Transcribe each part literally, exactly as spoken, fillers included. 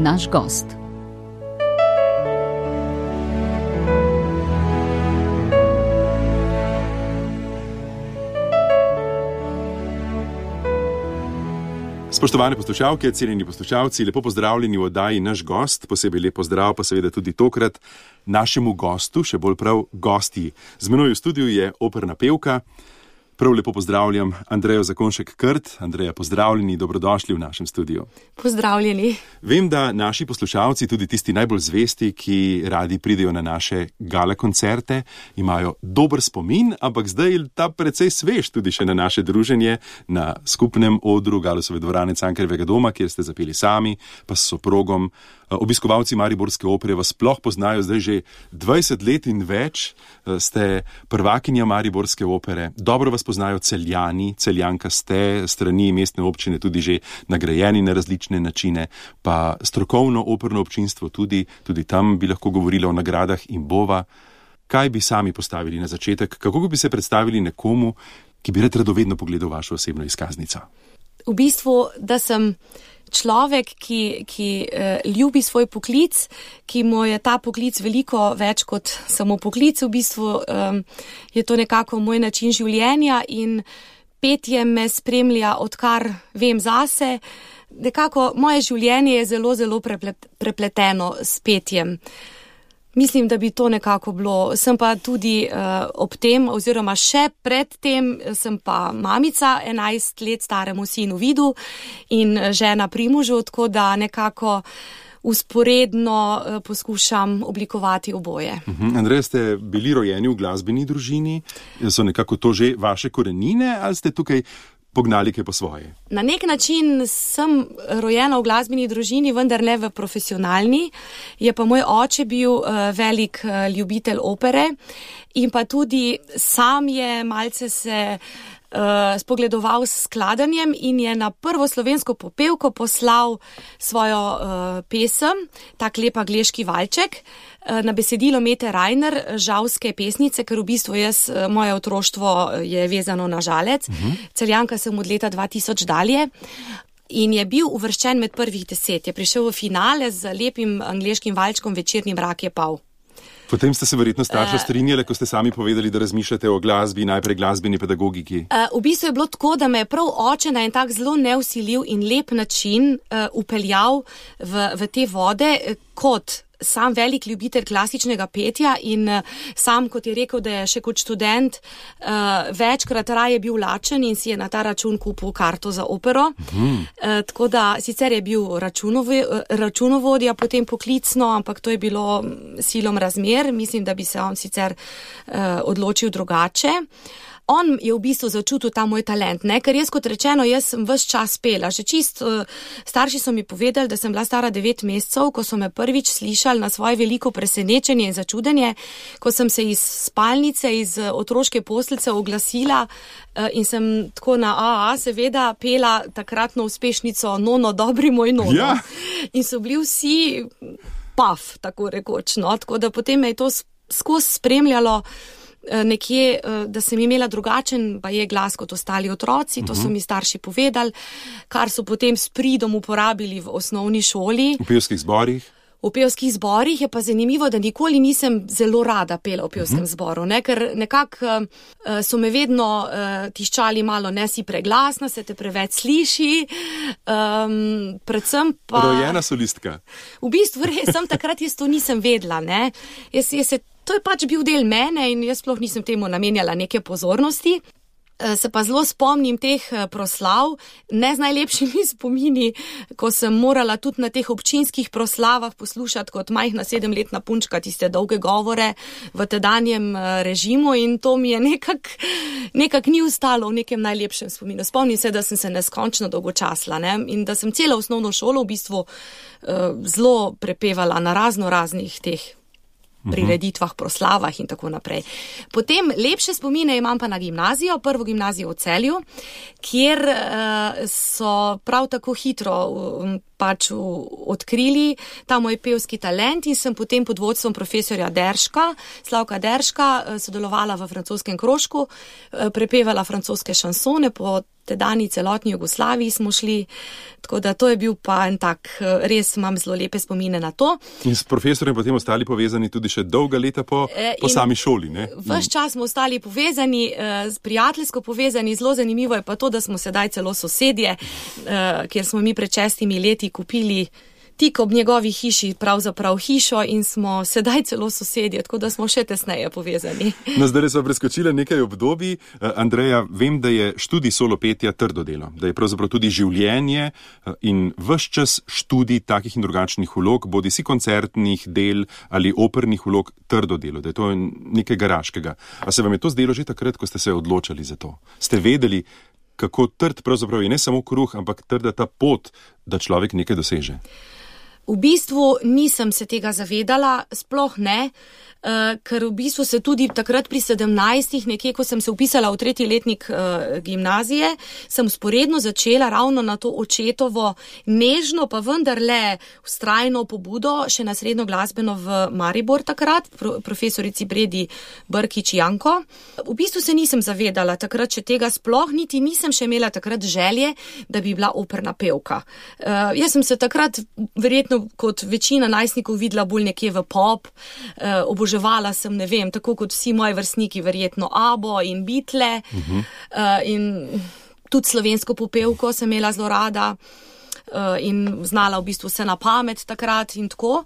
naš gost. Spoštovane poslušalke, cenjeni poslušalci, lepo pozdravljeni v oddaji Naš gost, posebej lep pozdrav pa seveda tudi tokrat našemu gostu, še bolj prav gostji. Z menoj v studiu je operna pevka. Prav lepo pozdravljam Andrejo Zakonjšek-Krt. Andreja, pozdravljeni, dobrodošli v našem studiu. Pozdravljeni. Vem, da naši poslušalci, tudi tisti najbolj zvesti, ki radi pridejo na naše gala koncerte, imajo dober spomin, ampak zdaj je ta precej svež tudi še na naše druženje na skupnem odru Galusove dvorane Cankarjevega doma, kjer ste zapeli sami, pa s soprogom. Obiskovalci Mariborske opere vas sploh poznajo zdaj že dvajset let in več, ste prvakinja Mariborske opere, dobro vas poznajo Celjani, Celjanka ste, strani mestne občine tudi že nagrajeni na različne načine, pa strokovno operno občinstvo tudi, tudi tam bi lahko govorilo o nagradah in bova. Kaj bi sami postavili na začetek, kako bi se predstavili nekomu, ki bi rad radovedno pogledal vašo osebno izkaznico? V bistvu, da sem človek, ki, ki eh, ljubi svoj poklic, ki mu je ta poklic veliko več kot samo poklic, v bistvu eh, je to nekako moj način življenja in petje me spremlja, odkar vem zase. Nekako moje življenje je zelo, zelo preplet, prepleteno s petjem. Mislim, da bi to nekako bilo. Sem pa tudi uh, ob tem, oziroma še pred tem, sem pa mamica enajst let staremu sinu Vidu in žena Primožu, tako da nekako usporedno uh, poskušam oblikovati oboje. Uh-huh. Andreja, ste bili rojeni v glasbeni družini? So nekako to že vaše korenine ali ste tukaj pognali kaj po svoje? Na nek način sem rojena v glasbeni družini, vendar ne v profesionalni. Je pa moj oče bil uh, velik uh, ljubitelj opere in pa tudi sam je malce se uh, spogledoval s skladanjem in je na prvo slovensko popevko poslal svojo uh, pesem, tak lep angleški valček, na besedilo Mete Rajner, žalske pesnice, ker v bistvu jaz, moje otroštvo je vezano na Žalec. Uh-huh. Celjanka sem od leta dva tisoč dalje in je bil uvrščen med prvih deset. Je prišel v finale z lepim angleškim valčkom Večerni mrak je pal. Potem ste se verjetno starša strinjali, ko ste sami povedali, da razmišljate o glasbi, najprej glasbeni pedagogiki. Uh, v bistvu je bilo tako, da me je prav oče na en tak zelo neusiljiv in lep način uh, upeljal v, v te vode kot sam velik ljubitelj klasičnega petja in sam, kot je rekel, da je še kot študent uh, večkrat raje bil lačen in si je na ta račun kupil karto za opero. Hmm. Uh, tako da sicer je bil računovodja potem poklicno, ampak to je bilo silom razmer. Mislim, da bi se on sicer uh, odločil drugače. On je v bistvu začutil ta moj talent, ne? Ker jaz, kot rečeno, jaz sem ves čas pela. Že čist uh, starši so mi povedali, da sem bila stara devet mesecev, ko so me prvič slišali na svoje veliko presenečenje in začudenje, ko sem se iz spalnice, iz otroške posteljice oglasila uh, in sem tako na A A seveda pela takratno uspešnico Nono, dobri moj Nono. Ja. In so bili vsi paf, tako rekoč, no? Tako da potem me je to skozi spremljalo nekje, da sem imela drugačen pa je glas kot ostali otroci, to so mi starši povedali, kar so potem s pridom uporabili v osnovni šoli. V pevskih zborih? V pevskih zborih je pa zanimivo, da nikoli nisem zelo rada pela v pevskem uh-huh. zboru, ne? Ker nekako uh, so me vedno uh, tiščali malo, ne si preglasna, se te preveč sliši, um, predvsem pa... Rojena solistka. V bistvu res, sem takrat jaz to nisem vedela, ne? Jaz, jaz se To je pač bil del mene in jaz sploh nisem temu namenjala neke pozornosti. Se pa zelo spomnim teh proslav, ne z najlepšimi spomini, ko sem morala tudi na teh občinskih proslavah poslušati kot majhna sedemletna punčka tiste dolge govore v tedanjem režimu in to mi je nekak, nekak ni ustalo v nekem najlepšem spominu. Spomnim se, da sem se neskončno dolgočasla, ne? In da sem celo osnovno šolo v bistvu uh, zelo prepevala na razno raznih teh prireditvah, proslavah in tako naprej. Potem lepše spomine imam pa na gimnazijo, prvo gimnazijo v Celju, kjer uh, so prav tako hitro uh, pač v, odkrili ta moj pevski talent in sem potem pod vodstvom profesorja Derška, Slavka Derška, sodelovala v francoskem krožku, prepevala francoske šansone, po tedajni celotni Jugoslaviji smo šli, tako da to je bil pa en tak, res imam zelo lepe spomine na to. In s profesorjem potem ostali povezani tudi še dolga leta po, po sami šoli, ne? Ves čas smo ostali povezani, prijateljsko povezani, zelo zanimivo je pa to, da smo sedaj celo sosedje, kjer smo mi pred šestimi leti kupili tik ob njegovi hiši pravzaprav hišo in smo sedaj celo sosedje, tako da smo še tesneje povezani. No, zdaj smo preskočili nekaj obdobij. Andreja, vem, da je študij solopetja trdo delo, da je pravzaprav tudi življenje in ves čas študij takih in drugačnih vlog, bodi si koncertnih del ali opernih vlog, trdo delo, da je to nekaj garaškega. A se vam je to zdelo že takrat, ko ste se odločali za to? Ste vedeli, kako trd pravzaprav je ne samo kruh, ampak trda ta pot, da človek nekaj doseže? V bistvu nisem se tega zavedala, sploh ne, uh, ker v bistvu se tudi takrat pri sedemnajstih, nekje, ko sem se upisala v tretji letnik uh, gimnazije, sem sporedno začela ravno na to očetovo nežno, pa vendarle vztrajno pobudo še na srednjo glasbeno v Maribor takrat, pro, profesorici Bredi Brkič Janko. V bistvu se nisem zavedala takrat še tega sploh, niti nisem še imela takrat želje, da bi bila operna pevka. Uh, jaz sem se takrat verjetno kot večina najstnikov videla bolj nekje v pop, eh, oboževala sem, ne vem, tako kot vsi moji vrstniki, verjetno Abo in Beatle, uh-huh. eh, in tudi slovensko popevko sem imela zelo rada eh, in znala v bistvu vse na pamet takrat in tako.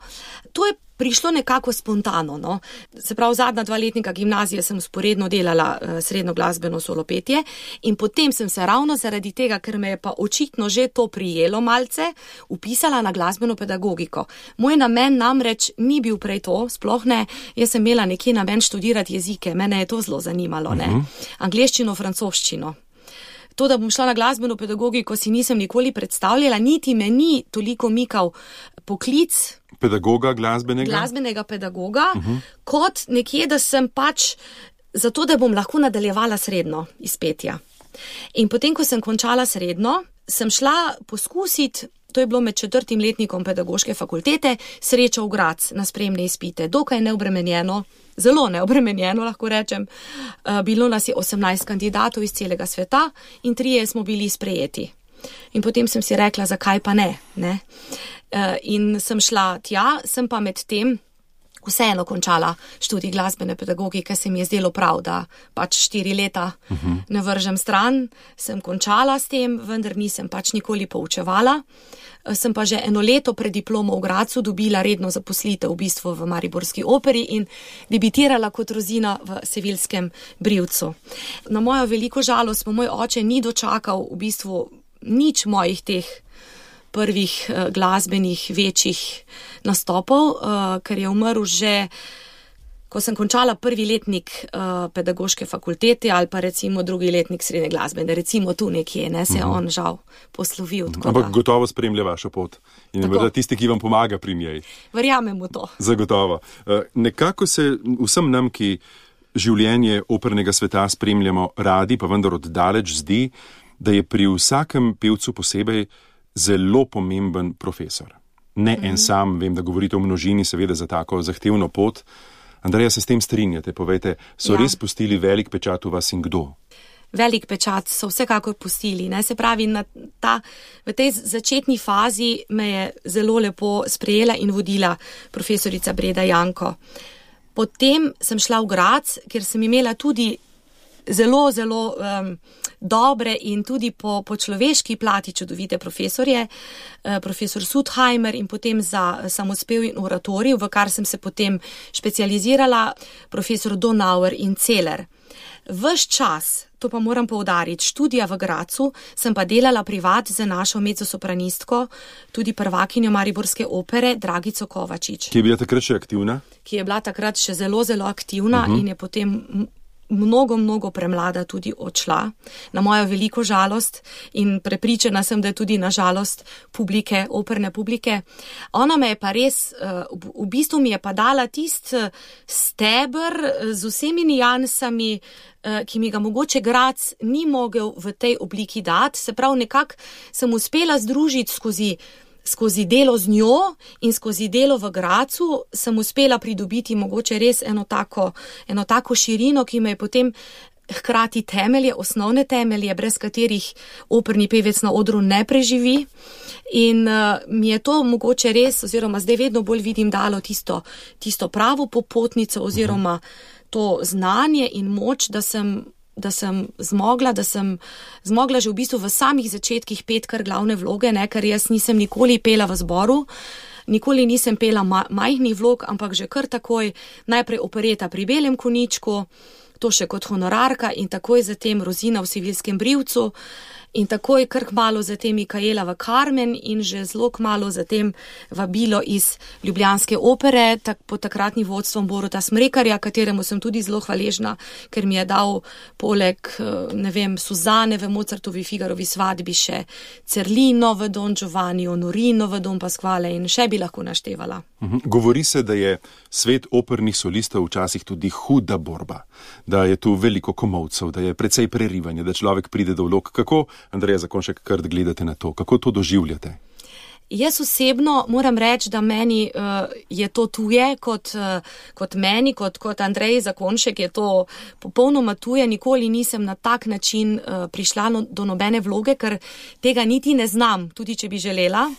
To je prišlo nekako spontano, no. Se pravi, zadnja dva letnika gimnazije sem sporedno delala uh, srednjo glasbeno solopetje in potem sem se ravno zaradi tega, ker me je pa očitno že to prijelo malce, upisala na glasbeno pedagogiko. Moj namen namreč ni bil prej to, sploh ne, jaz sem imela nekje namen študirati jezike, mene je to zelo zanimalo, ne. Uh-huh. Angleščino, francoščino. To, da bom šla na glasbeno pedagogiko, si nisem nikoli predstavljala, niti me ni toliko mikal poklic pedagoga glasbenega, glasbenega pedagoga, uh-huh. kot nekje, da sem pač zato, da bom lahko nadaljevala srednjo iz petja. In potem, ko sem končala srednjo, sem šla poskusiti, to je bilo med četrtim letnikom pedagoške fakultete, Srečo v Graz na sprejemne izpite, dokaj neobremenjeno, zelo neobremenjeno, lahko rečem. Bilo nas je osemnajst kandidatov iz celega sveta in trije smo bili sprejeti. In potem sem si rekla, zakaj pa ne, ne? In sem šla tja, sem pa med tem vseeno končala študij glasbene pedagogike, se mi je zdelo prav, da pač štiri leta uh-huh. ne vržem stran, sem končala s tem, vendar nisem pač nikoli poučevala. Sem pa že eno leto pred diplomo v Gracu dobila redno zaposlitev v bistvu v Mariborski operi in debitirala kot Rozina v Sevilskem Brivcu. Na mojo veliko žalost pa moj oče ni dočakal v bistvu nič mojih teh prvih uh, glasbenih večjih nastopov, uh, ker je umrl že, ko sem končala prvi letnik uh, pedagoške fakultete ali pa recimo drugi letnik srednje glasbene, recimo tu nekje, ne, se je uh-huh. on žal poslovil. Uh-huh. Ampak da... gotovo spremlja vašo pot in je tisti, ki vam pomaga pri njej. Verjamem v to. Zagotovo. Uh, nekako se vsem nam, ki življenje opernega sveta spremljamo radi, pa vendar oddaleč zdi, da je pri vsakem pevcu posebej zelo pomemben profesor. Ne mm-hmm. en sam, vem, da govorite o množini, seveda za tako zahtevno pot. Andreja, se s tem strinjate? Povejte, so ja. res pustili velik pečat v vas in kdo? Velik pečat so vsekakor pustili, ne, se pravi, na ta, v tej začetni fazi me je zelo lepo sprejela in vodila profesorica Breda Janko. Potem sem šla v Graz, kjer sem imela tudi zelo, zelo um, dobre in tudi po, po človeški plati čudovite profesorje, uh, profesor Sudheimer in potem za samospev in oratorij, v kar sem se potem specializirala, profesor Donauer in Celer. Ves čas, to pa moram poudariti, študija v Gracu, sem pa delala privat z našo mezzosopranistko, tudi prvakinjo Mariborske opere, Dragico Kovačič. Ki je bila takrat še aktivna? Ki je bila takrat še zelo, zelo aktivna uh-huh. in je potem mnogo, mnogo premlada tudi odšla, na mojo veliko žalost in prepričana sem, da je tudi na žalost publike, operne publike. Ona me je pa res, v bistvu mi je pa dala tist steber z vsemi nijansami, ki mi ga mogoče Graz ni mogel v tej obliki dati, se pravi nekako sem uspela združiti skozi skozi delo z njo in skozi delo v Gracu sem uspela pridobiti mogoče res eno tako, eno tako širino, ki me je potem hkrati temelje, osnovne temelje, brez katerih operni pevec na odru ne preživi. In uh, mi je to mogoče res, oziroma zdaj vedno bolj vidim, dalo tisto, tisto pravo popotnico oziroma to znanje in moč, da sem, da sem zmogla, da sem zmogla že v bistvu v samih začetkih pet kar glavne vloge, ne, ker jaz nisem nikoli pela v zboru, nikoli nisem pela ma- majhnih vlog, ampak že kar takoj najprej opereta pri Belem konjičku, to še kot honorarka in takoj zatem Rozina v Sevilskem brivcu in takoj kar kmalu zatem Mikaela v Carmen in že zelo kmalu zatem vabilo iz ljubljanske opere tak, pod takratnim vodstvom Boruta Smrekarja, kateremu sem tudi zelo hvaležna, ker mi je dal poleg, ne vem, Suzane v Mozartovi Figarovi svadbi še Cerlino v Don Giovanni, Honorino v Don Pasquale in še bi lahko naštevala. Govori se, da je svet opernih solistov včasih tudi huda borba, da je tu veliko komolcev, da je precej prerivanja, da človek pride do vlog. Kako, Andreja Zakonjšek-Krt, gledate na to? Kako to doživljate? Jaz osebno moram reči, da meni uh, je to tuje kot, uh, kot meni, kot, kot Andrej Zakonjšek je to popolnoma tuje. Nikoli nisem na tak način uh, prišla no, do nobene vloge, ker tega niti ne znam, tudi če bi želela.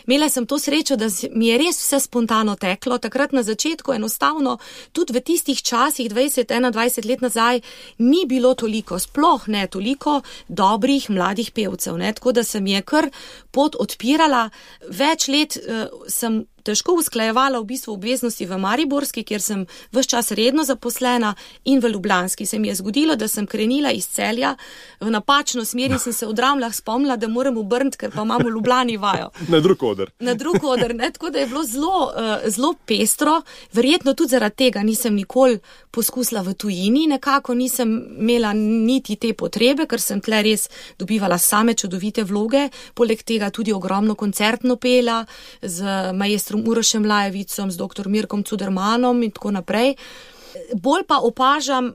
Imela sem to srečo, da mi je res vse spontano teklo. Takrat na začetku enostavno, tudi v tistih časih, dvajset, enaindvajset let nazaj, ni bilo toliko, sploh ne toliko dobrih mladih pevcev. Ne? Tako da se mi je kar pot odpirala. Več let uh, sem težko usklajevala v bistvu obveznosti v Mariborski, kjer sem ves čas redno zaposlena, in v Ljubljanski. Se mi je zgodilo, da sem krenila iz Celja v napačno smer in sem se v Dramljah spomnila, da moram obrniti, ker pa imamo v Ljubljani vajo. Na drug oder. Na drug oder, ne? Tako da je bilo zelo, uh, zelo pestro. Verjetno tudi zaradi tega nisem nikoli poskusila v tujini, nekako nisem imela niti te potrebe, ker sem tle res dobivala same čudovite vloge, poleg tega tudi ogromno koncertno pela z maestrom Urošem Lajevicom, z doktor Mirkom Cudermanom in tako naprej. Bolj pa opažam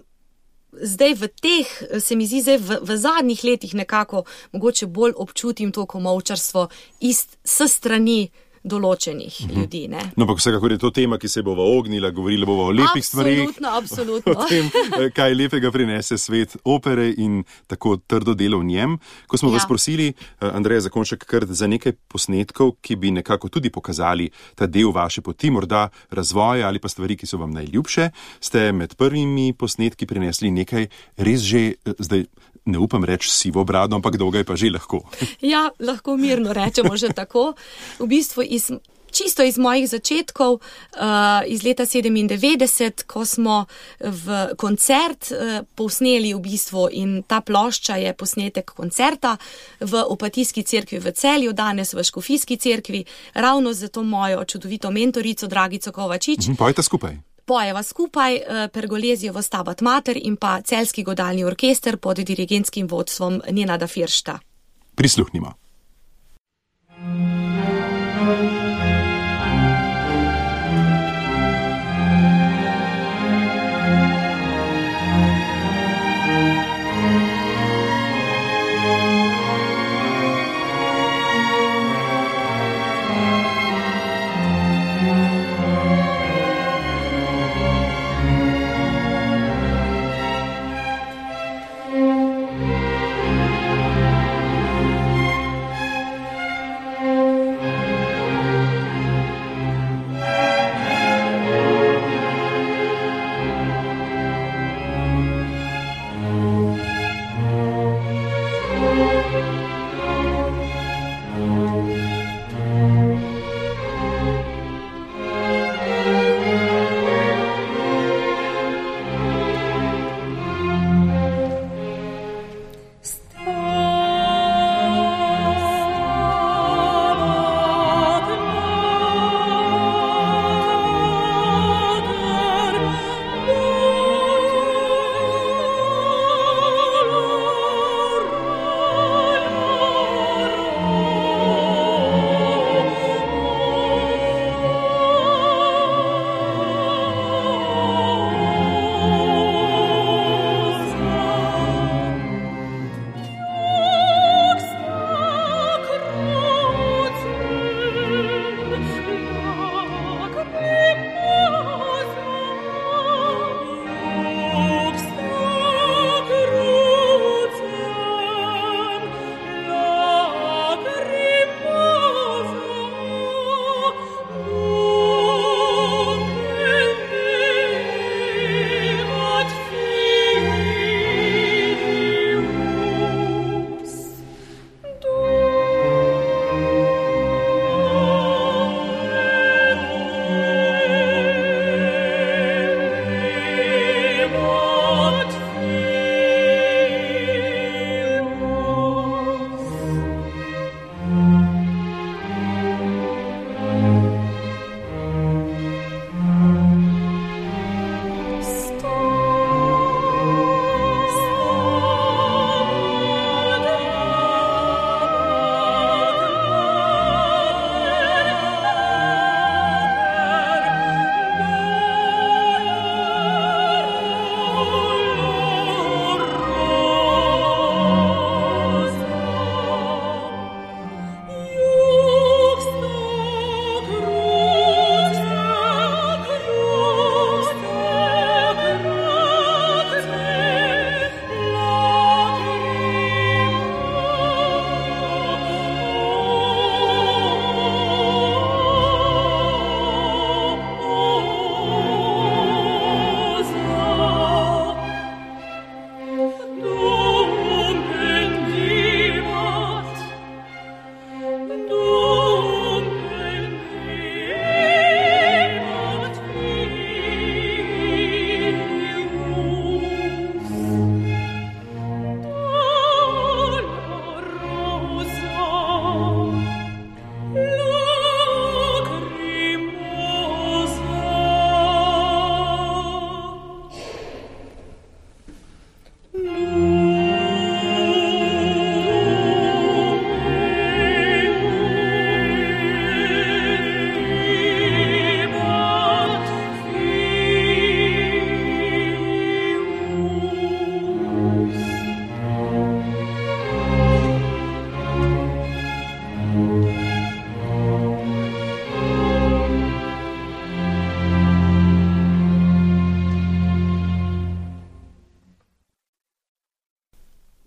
zdaj v teh, se mi zdi zdaj v, v zadnjih letih nekako, mogoče bolj občutim to komolčarstvo iz s strani določenih uh-huh. ljudi. Ne? No, pa vsekakor je to tema, ki se bova ognila, govorila bova o lepih stvarih. Absolutno, absolutno. O tem, kaj lepega prinese svet opere in tako trdo delo v njem. Ko smo ja. vas prosili, Andreja Zakonjšek-Krt, za nekaj posnetkov, ki bi nekako tudi pokazali ta del vaše poti, morda razvoja ali pa stvari, ki so vam najljubše, ste med prvimi posnetki prinesli nekaj res že zdaj, ne upam reči sivo brado, ampak dolga je pa že lahko. Ja, lahko mirno rečemo že tako. V bistvu iz, čisto iz mojih začetkov, uh, iz leta sedemindevetdeset, ko smo v koncert uh, posneli v bistvu in ta plošča je posnetek koncerta v Opatijski cerkvi v Celju, danes v Škofijski cerkvi, ravno za to mojo čudovito mentorico Dragico Kovačič. Mhm, pojte skupaj. Pojeva skupaj Pergolezijevo Stabat Mater in pa Celjski godalni orkester pod dirigentskim vodstvom Nenada Firšta. Prisluhnimo.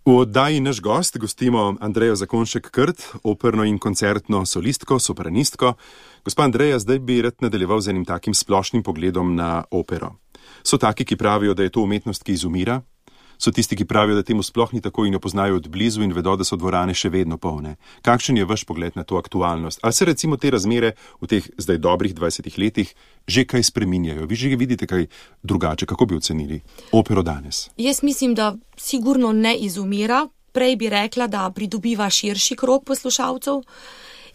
V oddaji Naš gost gostimo Andrejo Zakonjšek-Krt, operno in koncertno solistko, sopranistko. Gospa Andreja, zdaj bi rad nadaljeval z enim takim splošnim pogledom na opero. So taki, ki pravijo, da je to umetnost, ki izumira. So tisti, ki pravijo, da temu sploh ni tako in jo poznajo od blizu in vedo, da so dvorane še vedno polne. Kakšen je vaš pogled na to aktualnost? Ali se recimo te razmere v teh zdaj dobrih dvajsetih letih že kaj spreminjajo? Vi že vidite kaj drugače? Kako bi ocenili opero danes? Jaz mislim, da sigurno ne izumira. Prej bi rekla, da pridobiva širši krog poslušalcev.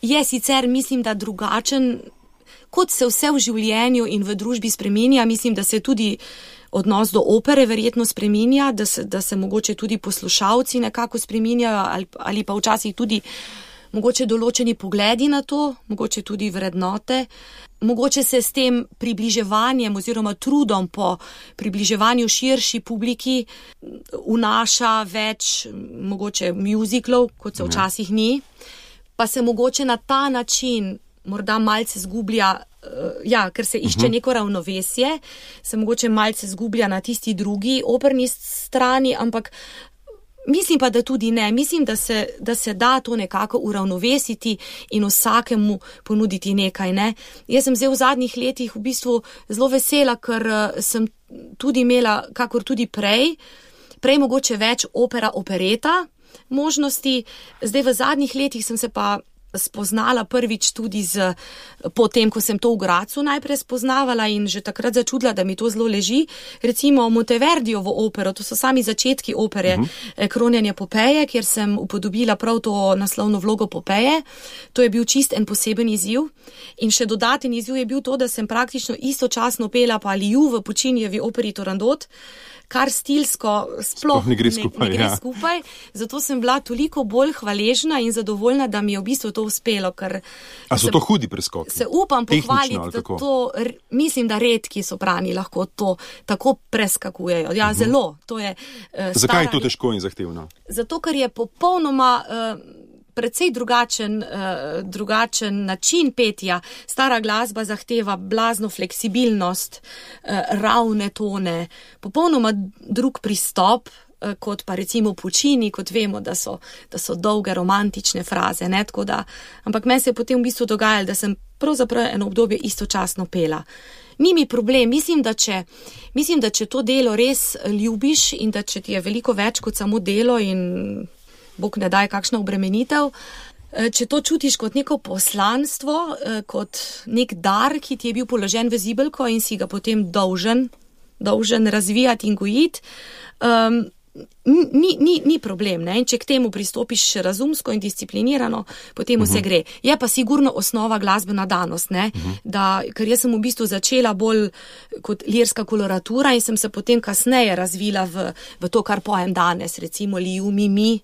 Je sicer, mislim, da drugačen, kot se vse v življenju in v družbi spreminja. Mislim, da se tudi odnos do opere verjetno spreminja, da se, da se mogoče tudi poslušalci nekako spreminjajo ali, ali pa včasih tudi mogoče določeni pogledi na to, mogoče tudi vrednote. Mogoče se s tem približevanjem oziroma trudom po približevanju širši publiki vnaša več mogoče musicalov, kot se včasih ni, pa se mogoče na ta način morda malce zgublja, ja, ker se išče neko ravnovesje, se mogoče malce zgublja na tisti drugi operni strani, ampak mislim pa, da tudi ne. Mislim, da se, da se da to nekako uravnovesiti in vsakemu ponuditi nekaj, ne. Jaz sem zdaj v zadnjih letih v bistvu zelo vesela, ker sem tudi imela, kakor tudi prej, prej mogoče več opera, opereta možnosti. Zdaj v zadnjih letih sem se pa spoznala prvič tudi z, potem, ko sem to v Gracu najprej spoznavala in že takrat začudila, da mi to zelo leži. Recimo Monteverdijevo opero, to so sami začetki opere uh-huh. Kronjanje Popeje, kjer sem upodobila prav to naslovno vlogo Popeje. To je bil čist en poseben izziv. In še dodaten izziv je bil to, da sem praktično istočasno pela pa Liju v Puccinijevi operi Turandot, kar stilsko sploh ne gre skupaj. Ne, ne gre ja. skupaj. Zato sem bila toliko bolj hvaležna in zadovoljna, da mi je v bistvu to uspelo. Ker A so se, to hudi preskoki? Se upam pohvaliti, da to, mislim, da redki soprani lahko to tako preskakujejo. Ja, uh-huh. zelo. To je, uh, Zakaj je to težko in zahtevno? Zato, ker je popolnoma Uh, precej drugačen, uh, drugačen način petja. Stara glasba zahteva blazno fleksibilnost, uh, ravne tone, popolnoma drug pristop, uh, kot pa recimo Puccini, kot vemo, da so, da so dolge romantične fraze. Ne? Tako da, ampak meni se je potem v bistvu dogajalo, da sem pravzaprav eno obdobje istočasno pela. Ni mi problem, mislim da, če, mislim, da če to delo res ljubiš in da če ti je veliko več kot samo delo in Bog ne daj kakšna obremenitev, če to čutiš kot neko poslanstvo, kot nek dar, ki ti je bil položen v zibelko in si ga potem dolžen, dolžen razvijati in gojiti, um, ni, ni, ni problem. Ne? In če k temu pristopiš razumsko in disciplinirano, potem vse uh-huh. gre. Je pa sigurno osnova glasbena danost, ne? Uh-huh. Da, ker jaz sem v bistvu začela bolj kot lirska koloratura in sem se potem kasneje razvila v, v to, kar pojem danes, recimo Liju, mi, mi,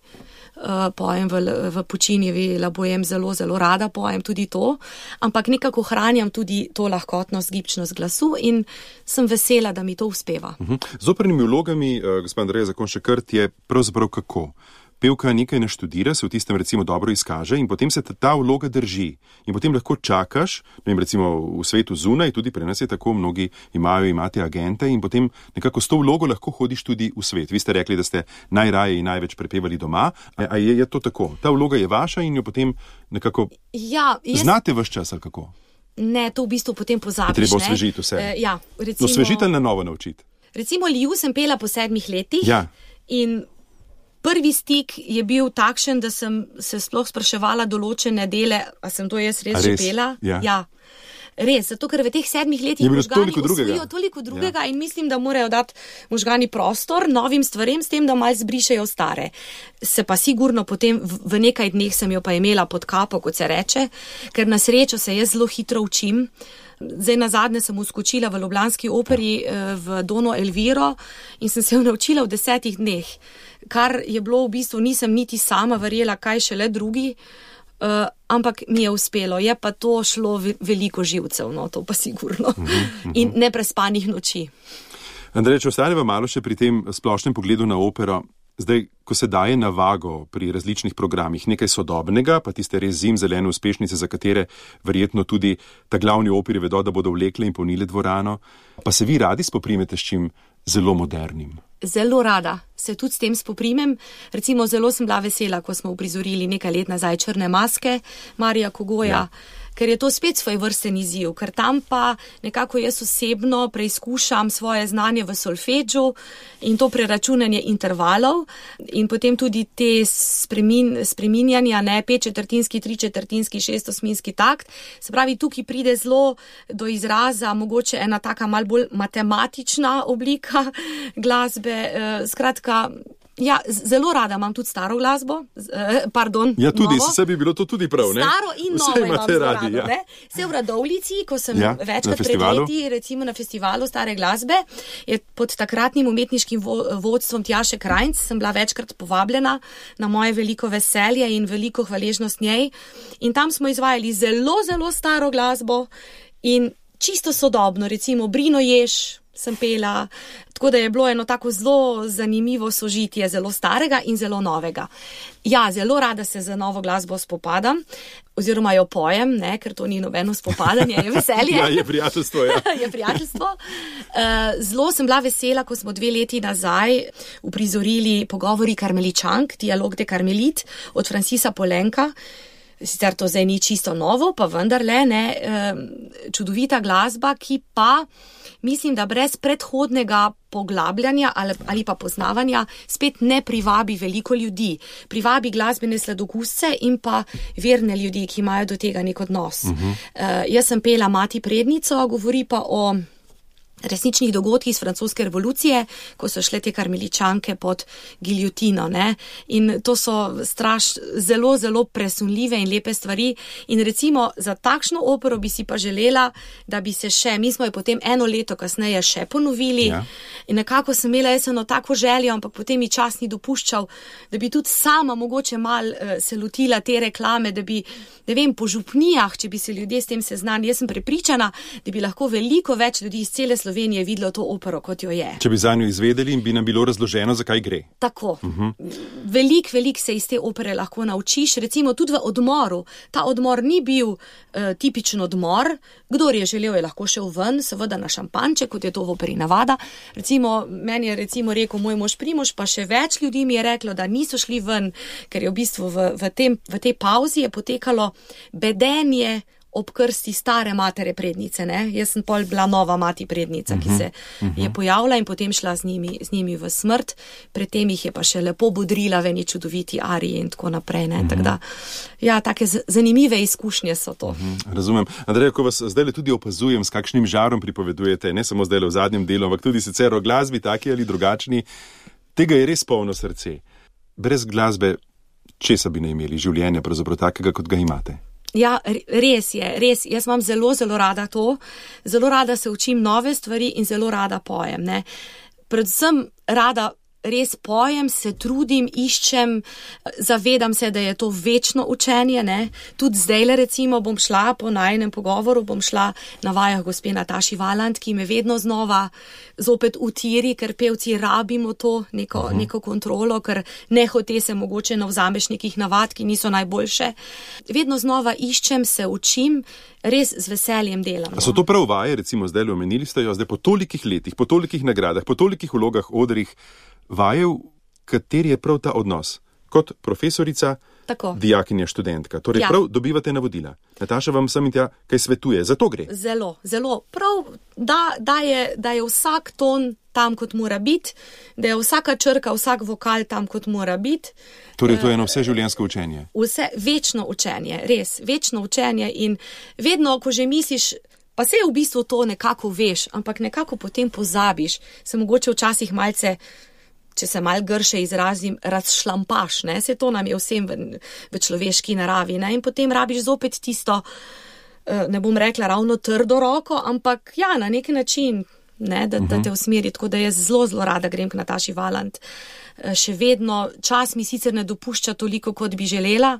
Uh, pojem v, v Puccinijevi La Bohème zelo, zelo rada, pojem tudi to, ampak nekako hranjam tudi to lahkotnost, gibčnost glasu in sem vesela, da mi to uspeva. Uh-huh. Z opernimi vlogami, uh, gospod Andreja Zakonjšek-Krt, je pravzaprav kako? Pevka nekaj naštudira, se v tistem recimo dobro izkaže in potem se ta, ta vloga drži. In potem lahko čakaš, ne vem, recimo v svetu zunaj, tudi pri nas je tako, mnogi imajo, imate agente in potem nekako s to vlogo lahko hodiš tudi v svet. Vi ste rekli, da ste najraje in največ prepevali doma, a, a je, je to tako? Ta vloga je vaša in jo potem nekako ja, jaz... znate vaš čas ali kako? Ne, to v bistvu potem pozabiš. Treba osvežiti vse. E, ja, recimo... No, osvežiti ali na novo naučiti? Recimo Liju sem pela po sedmih letih ja. in prvi stik je bil takšen, da sem se sploh spraševala določene dele, a sem to jaz res, res? že pela? Ja. ja. Res, zato ker v teh sedmih letih možgani usvojijo toliko drugega ja. In mislim, da morajo dati možgani prostor novim stvarem, s tem, da malo zbrišejo stare. Se pa sigurno potem v, v nekaj dneh sem jo pa imela pod kapo, kot se reče, ker na srečo se jaz zelo hitro učim. Zdaj nazadnje sem uskočila v ljubljanski operi v Dono Elviro in sem se jo naučila v desetih dneh, kar je bilo v bistvu, nisem niti sama verjela, kaj šele drugi, uh, ampak mi je uspelo. Je pa to šlo veliko živcev, no, to pa sigurno. Mm-hmm. In neprespanih noči. Andrej, če ostaneva malo še pri tem splošnem pogledu na opero, zdaj, ko se daje na vago pri različnih programih nekaj sodobnega, pa tiste res zimzelene uspešnice, za katere verjetno tudi ta glavni operi vedo, da bodo vlekle in polnile dvorano, pa se vi radi spoprimete s čim zelo modernim? Zelo rada se tudi s tem spoprimem. Recimo, zelo sem bila vesela, ko smo uprizorili nekaj let nazaj Črne maske Marija Kogoja, ja. Ker je to spet svoj vrsten izziv, ker tam pa nekako jaz osebno preizkušam svoje znanje v solfedžu in to preračunanje intervalov in potem tudi te spremin, spreminjanja, ne, pet četrtinski, tri četrtinski, šest osminski takt. Se pravi, tukaj pride zelo do izraza mogoče ena taka mal bolj matematična oblika glasbe, skratka, ja, zelo rada imam tudi staro glasbo, pardon, ja, tudi, novo. Se bi bilo to tudi prav, ne? Staro in novo imam zelo radi, rado, ja. ne? Se v Radovljici, ko sem ja, večkrat pred leti, recimo na festivalu stare glasbe, je pod takratnim umetniškim vo- vodstvom Tjaše Krajnc, sem bila večkrat povabljena na moje veliko veselje in veliko hvaležnost njej. In tam smo izvajali zelo, zelo staro glasbo in čisto sodobno, recimo Brino Jež sem pela, tako da je bilo eno tako zelo zanimivo sožitje zelo starega in zelo novega. Ja, zelo rada se za novo glasbo spopadam, oziroma jo pojem, ne, ker to ni nobeno spopadanje, je veselje. Ja, je prijateljstvo, ja. je prijateljstvo. Zelo sem bila vesela, ko smo dve leti nazaj uprizorili Pogovori karmeličank, Dialog de Karmelit od Francisa Polenka. Sicer to zdaj ni čisto novo, pa vendarle, ne, čudovita glasba, ki pa mislim, da brez predhodnega poglabljanja ali, ali pa poznavanja spet ne privabi veliko ljudi. Privabi glasbene sladokusce in pa verne ljudi, ki imajo do tega nek odnos. Uh-huh. Uh, jaz sem pela Mati prednico, govori pa o resničnih dogodkih iz francoske revolucije, ko so šle te karmeličanke pod giljotino, ne. In to so straš, zelo, zelo presunljive in lepe stvari. In recimo za takšno opero bi si pa želela, da bi se še, mi smo jo potem eno leto kasneje še ponovili. Ja. In nekako sem imela jaz eno tako željo, ampak potem mi čas ni dopuščal, da bi tudi sama mogoče mal uh, se lotila te reklame, da bi, ne vem, po župnijah, če bi se ljudje s tem seznanili. Jaz sem prepričana, da bi lahko veliko več ljudi iz cele Slovenije videlo to opero, kot jo je. Če bi zanjo izvedeli in bi nam bilo razloženo, zakaj gre. Tako. Uh-huh. Velik, velik se iz te opere lahko naučiš. Recimo tudi v odmoru. Ta odmor ni bil uh, tipičen odmor. Kdor je želel, je lahko šel ven, seveda na šampanček, kot je to v operi navada. Recimo, meni je recimo rekel moj mož Primož, pa še več ljudi mi je reklo, da niso šli ven, ker je v bistvu v, v, tem, v tej pauzi je potekalo bedenje ob krsti stare matere prednice, ne. Jaz sem pol bila nova mati prednica, uh-huh, ki se uh-huh. je pojavila in potem šla z njimi, z njimi v smrt. Predtem jih je pa še lepo bodrila v eni čudoviti ariji in tako naprej, ne. Uh-huh. Tako da, ja, take z- zanimive izkušnje so to. Uh-huh. Razumem. Andreja, ko vas zdaj tudi opazujem, s kakšnim žarom pripovedujete, ne samo zdaj v zadnjem delu, ampak tudi sicer o glasbi, taki ali drugačni, tega je res polno srce. Brez glasbe, česa bi ne imeli življenja, pravzaprav takega, kot ga imate? Ja, res je, res. Jaz imam zelo, zelo rada to. Zelo rada se učim nove stvari in zelo rada pojem, ne. Predvsem rada res pojem, se trudim, iščem, zavedam se, da je to večno učenje, ne. Tudi zdajle recimo bom šla po najinem pogovoru, bom šla na vajah gospe Nataši Valant, ki me vedno znova zopet utiri, ker pevci rabimo to neko, uh-huh. neko kontrolo, ker nehote se mogoče navzameš nekih navad, ki niso najboljše. Vedno znova iščem, se učim, res z veseljem delam. A so to prav vaje, recimo zdaj omenili ste jo, zdaj po tolikih letih, po tolikih nagradah, po tolikih vlogah, odrih, vajev, kateri je prav ta odnos? Kot profesorica, tako. Dijakinja, študentka. Torej ja. Prav dobivate navodila. Nataša vam sem in tja kaj svetuje. Za to gre. Zelo, zelo. Prav, da, da, je, da je vsak ton tam, kot mora biti, da je vsaka črka, vsak vokal tam, kot mora biti. Torej to je eno vse življenjsko učenje. Vse, večno učenje, res, večno učenje in vedno, ko že misliš, pa se v bistvu to nekako veš, ampak nekako potem pozabiš, se mogoče včasih malce, če se mal grše izrazim, razšlampaš, ne, se to nam je vsem v, v človeški naravi, ne, in potem rabiš zopet tisto, ne bom rekla ravno trdo roko, ampak ja, na neki način, ne, da, uh-huh. da te usmeri, tako da jaz zelo, zelo rada grem k Nataši Valant. Še vedno, čas mi sicer ne dopušča toliko, kot bi želela.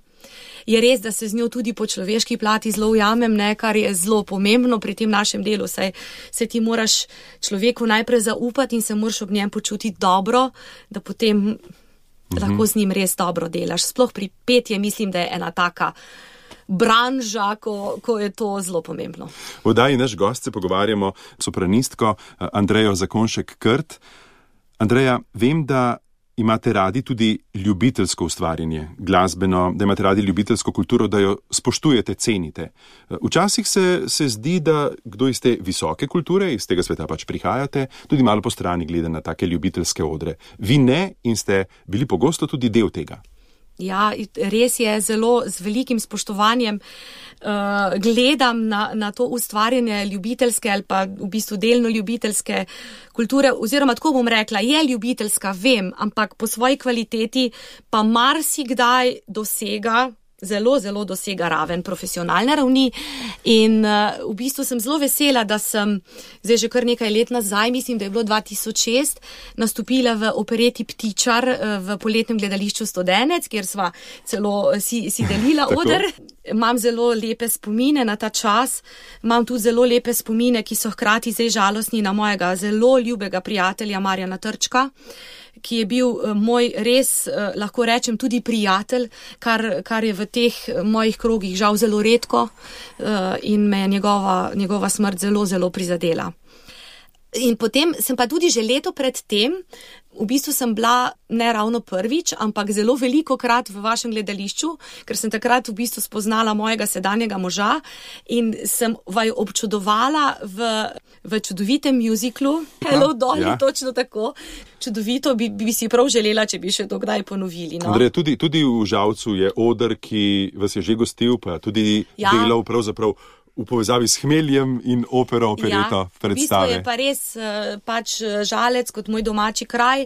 Je res, da se z njo tudi po človeški plati zelo ujamem, ne, kar je zelo pomembno pri tem našem delu, saj se ti moraš človeku najprej zaupati in se moraš ob njem počutiti dobro, da potem mhm. lahko z njim res dobro delaš. Sploh pri petje mislim, da je ena taka branža, ko, ko je to zelo pomembno. V oddaji naš gost se pogovarjamo s sopranistko Andrejo Zakonšek-Krt. Andreja, vem, da imate radi tudi ljubiteljsko ustvarjanje, glasbeno, da imate radi ljubiteljsko kulturo, da jo spoštujete, cenite. Včasih se, se zdi, da kdo iz te visoke kulture, iz tega sveta pač prihajate, tudi malo po strani gleda na take ljubiteljske odre. Vi ne in ste bili pogosto tudi del tega. Ja, res je, zelo z velikim spoštovanjem uh, gledam na, na to ustvarjanje ljubiteljske ali pa v bistvu delno ljubiteljske kulture, oziroma tako bom rekla, je ljubiteljska, vem, ampak po svoji kvaliteti pa marsikdaj dosega, zelo, zelo dosega raven profesionalne ravni in uh, v bistvu sem zelo vesela, da sem zdaj že kar nekaj let nazaj, mislim, da je bilo dva tisoč šest, nastopila v opereti Ptičar uh, v poletnem gledališču Studenec, kjer sva celo si, si delila oder. Imam zelo lepe spomine na ta čas, imam tudi zelo lepe spomine, ki so hkrati zdaj žalostni na mojega zelo ljubega prijatelja Marjana Trčka, ki je bil moj res, lahko rečem, tudi prijatelj, kar, kar je v teh mojih krogih žal zelo redko in me je njegova, njegova smrt zelo, zelo prizadela. In potem sem pa tudi že leto pred tem, v bistvu sem bila ne ravno prvič, ampak zelo veliko krat v vašem gledališču, ker sem takrat v bistvu spoznala mojega sedanjega moža in sem vaju občudovala v, v čudovitem muziklu. Hello, Dolly, ja. Točno tako. Čudovito bi, bi si prav želela, če bi še to kdaj ponovili. No? Andrej, tudi, tudi v Žalcu je oder, ki vas je že gostil, pa tudi ja. delal pravzaprav v povezavi s Hmeljem in opero, opereto, ja, predstave. V bistvu je pa res pač Žalec kot moj domači kraj.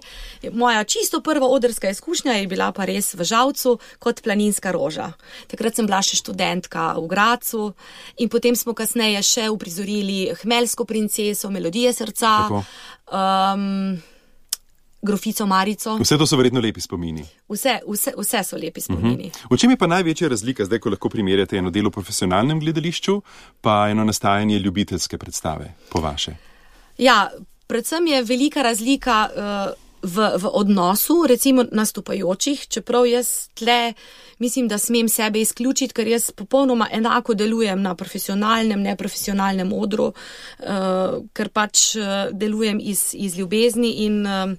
Moja čisto prva odrska izkušnja je bila pa res v Žalcu kot Planinska roža. Takrat sem bila še študentka v Gracu in potem smo kasneje še uprizorili Hmeljsko princeso, Melodije srca, um, Grofico Marico. Vse to so verjetno lepi spomini. Vse, vse, vse so lepi spomini. Uh-huh. V čem je pa največja razlika zdaj, ko lahko primerjate eno delo v profesionalnem gledališču, pa eno nastajanje ljubiteljske predstave, po vaše? Ja, predvsem je velika razlika uh, v, v odnosu, recimo nastopajočih, čeprav jaz tle mislim, da smem sebe izključiti, ker jaz popolnoma enako delujem na profesionalnem, neprofesionalnem odru, uh, ker pač uh, delujem iz, iz ljubezni in uh,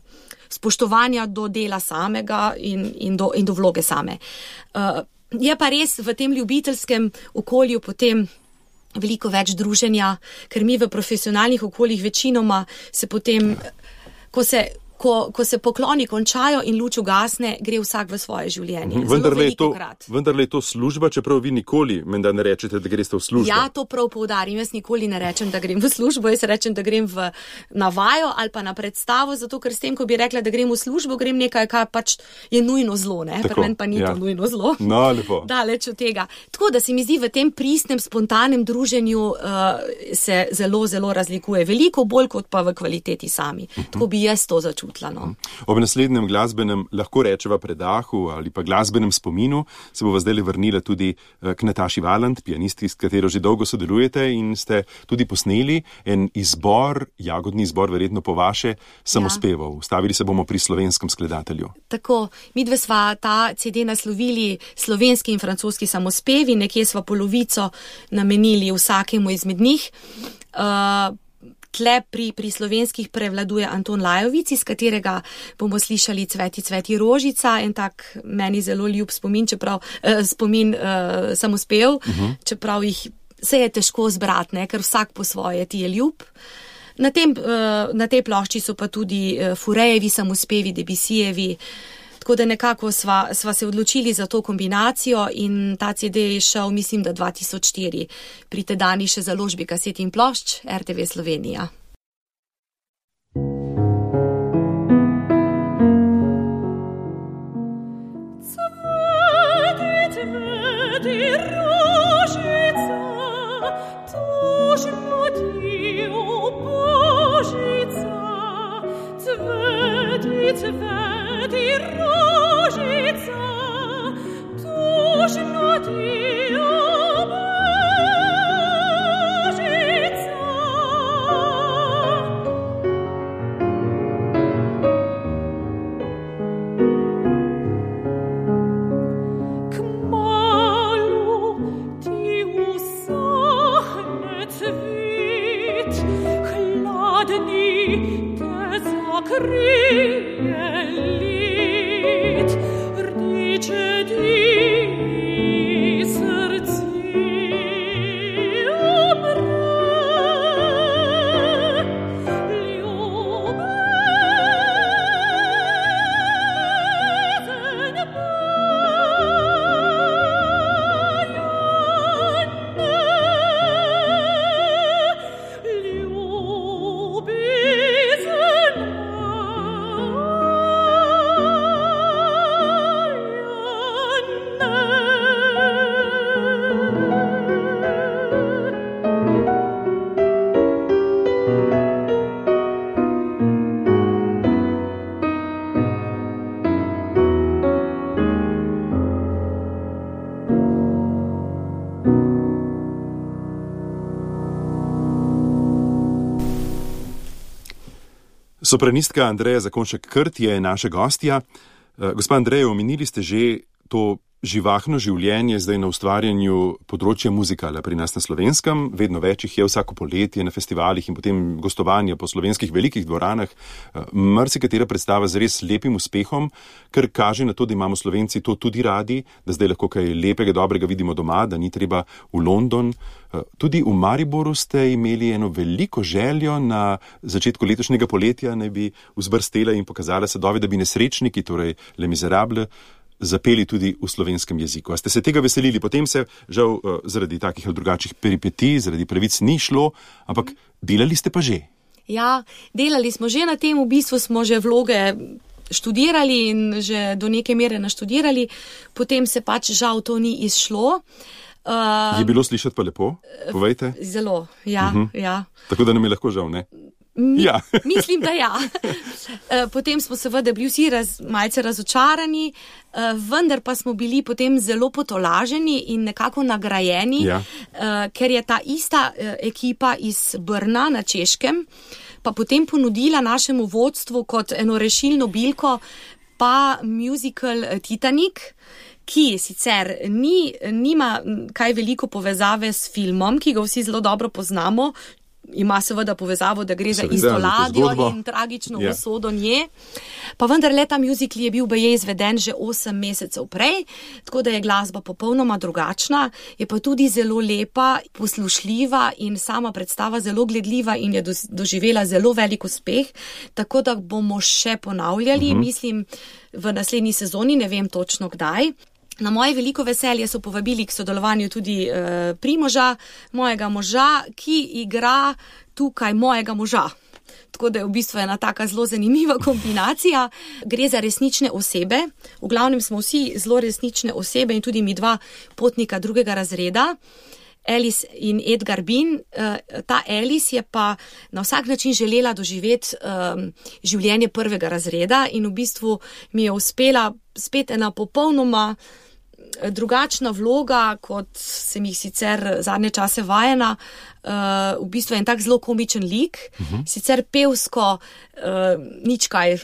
spoštovanja do dela samega in, in, do, in do vloge same. Uh, je pa res v tem ljubiteljskem okolju potem veliko več druženja, ker mi v profesionalnih okoljih večinoma se potem, ko se Ko, ko se pokloni končajo in luč ugasne, gre vsak v svoje življenje. Vendar le je to služba, čeprav vi nikoli menda ne rečete, da greste v službo. Ja, to prav poudarim. Jaz nikoli ne rečem, da grem v službo, jaz rečem, da grem v navajo ali pa na predstavo, zato ker s tem, ko bi rekla, da grem v službo, grem nekaj, kar pač je nujno zlo, ne? Pri meni pa ni ja. to nujno zlo. No, lepo. Daleč od tega. Tako da se mi zdi, v tem pristnem, spontanem druženju uh, se zelo, zelo razlikuje. Veliko bolj kot pa v kvaliteti sami. Uh-huh. Tako bi jaz to začutila. No. Ob naslednjem glasbenem, lahko rečeva predahu ali pa glasbenem spominu, se bova zdaj vrnila tudi k Nataši Valant, pianistki, s katero že dolgo sodelujete in ste tudi posneli en izbor, jagodni izbor, verjetno po vaše, samospevov. Ja. Stavili se bomo pri slovenskem skladatelju. Tako, midve sva ta C D naslovili slovenski in francoski samospevi, nekje sva polovico namenili vsakemu izmed njih. Uh, Tle pri, pri slovenskih prevladuje Anton Lajovic, iz katerega bomo slišali Cveti, cveti rožica, en tak meni zelo ljub spomin, čeprav, eh, spomin eh, samospev, uh-huh. čeprav jih se je težko zbrati, ne, ker vsak po svoje ti je ljub. Na, tem, eh, na tej plošči so pa tudi eh, Furejevi samospevi, Debussyjevi, tako da nekako sva, sva se odločili za to kombinacijo in ta C D je šel, mislim, da dva tisoč štiri pri tedajni še založbi kaset in plošč R T V Slovenija. Sopranistka Andreja Zakonjšek-Krt je naša gostja. Gospa Andreja, omenili ste že to živahno življenje zdaj na ustvarjanju področja muzikala pri nas na Slovenskem. Vedno več jih je vsako poletje na festivalih in potem gostovanja po slovenskih velikih dvoranah. Marsikatera predstava z res lepim uspehom, kar kaže na to, da imamo Slovenci to tudi radi, da zdaj lahko kaj lepega, dobrega vidimo doma, da ni treba v London. Tudi v Mariboru ste imeli eno veliko željo na začetku letošnjega poletja, naj bi vzbrstela in pokazala sadove, da bi nesrečniki, torej Les Miserables, zapeli tudi v slovenskem jeziku. A ste se tega veselili? Potem se žal zaradi takih ali drugačnih peripetij, zaradi pravic ni šlo, ampak delali ste pa že. Ja, delali smo že na tem, v bistvu smo že vloge študirali in že do neke mere naštudirali, potem se pač žal to ni izšlo. Uh, je bilo slišati pa lepo? Povejte. Zelo, ja, uh-huh. ja. Tako da nam je lahko žal, ne? Mi, ja. Mislim, da ja. Potem smo seveda bili vsi raz, malce razočarani, vendar pa smo bili potem zelo potolaženi in nekako nagrajeni, ja. Ker je ta ista ekipa iz Brna na Češkem pa potem ponudila našemu vodstvu kot eno rešilno bilko pa musical Titanic, ki sicer ni, nima kaj veliko povezave s filmom, ki ga vsi zelo dobro poznamo. Ima seveda povezavo, da gre za isto ladjo in tragično yeah. usodo nje. Pa vendar le ta musical je bil baje izveden že osem mesecev prej, tako da je glasba popolnoma drugačna, je pa tudi zelo lepa, poslušljiva in sama predstava zelo gledljiva in je doživela zelo velik uspeh, tako da bomo še ponavljali, uh-huh. mislim, v naslednji sezoni, ne vem točno kdaj. Na moje veliko veselje so povabili k sodelovanju tudi e, Primoža, mojega moža, ki igra tukaj mojega moža. Tako da je v bistvu ena taka zelo zanimiva kombinacija. Gre za resnične osebe. V glavnem smo vsi zelo resnične osebe in tudi mi dva potnika drugega razreda. Alice in Edgar Bin. Ta Alice je pa na vsak način želela doživeti um, življenje prvega razreda in v bistvu mi je uspela spet ena popolnoma drugačna vloga, kot sem jih sicer zadnje čase vajena. Uh, v bistvu je en tak zelo komičen lik, uh-huh. sicer pevsko uh, nič kaj,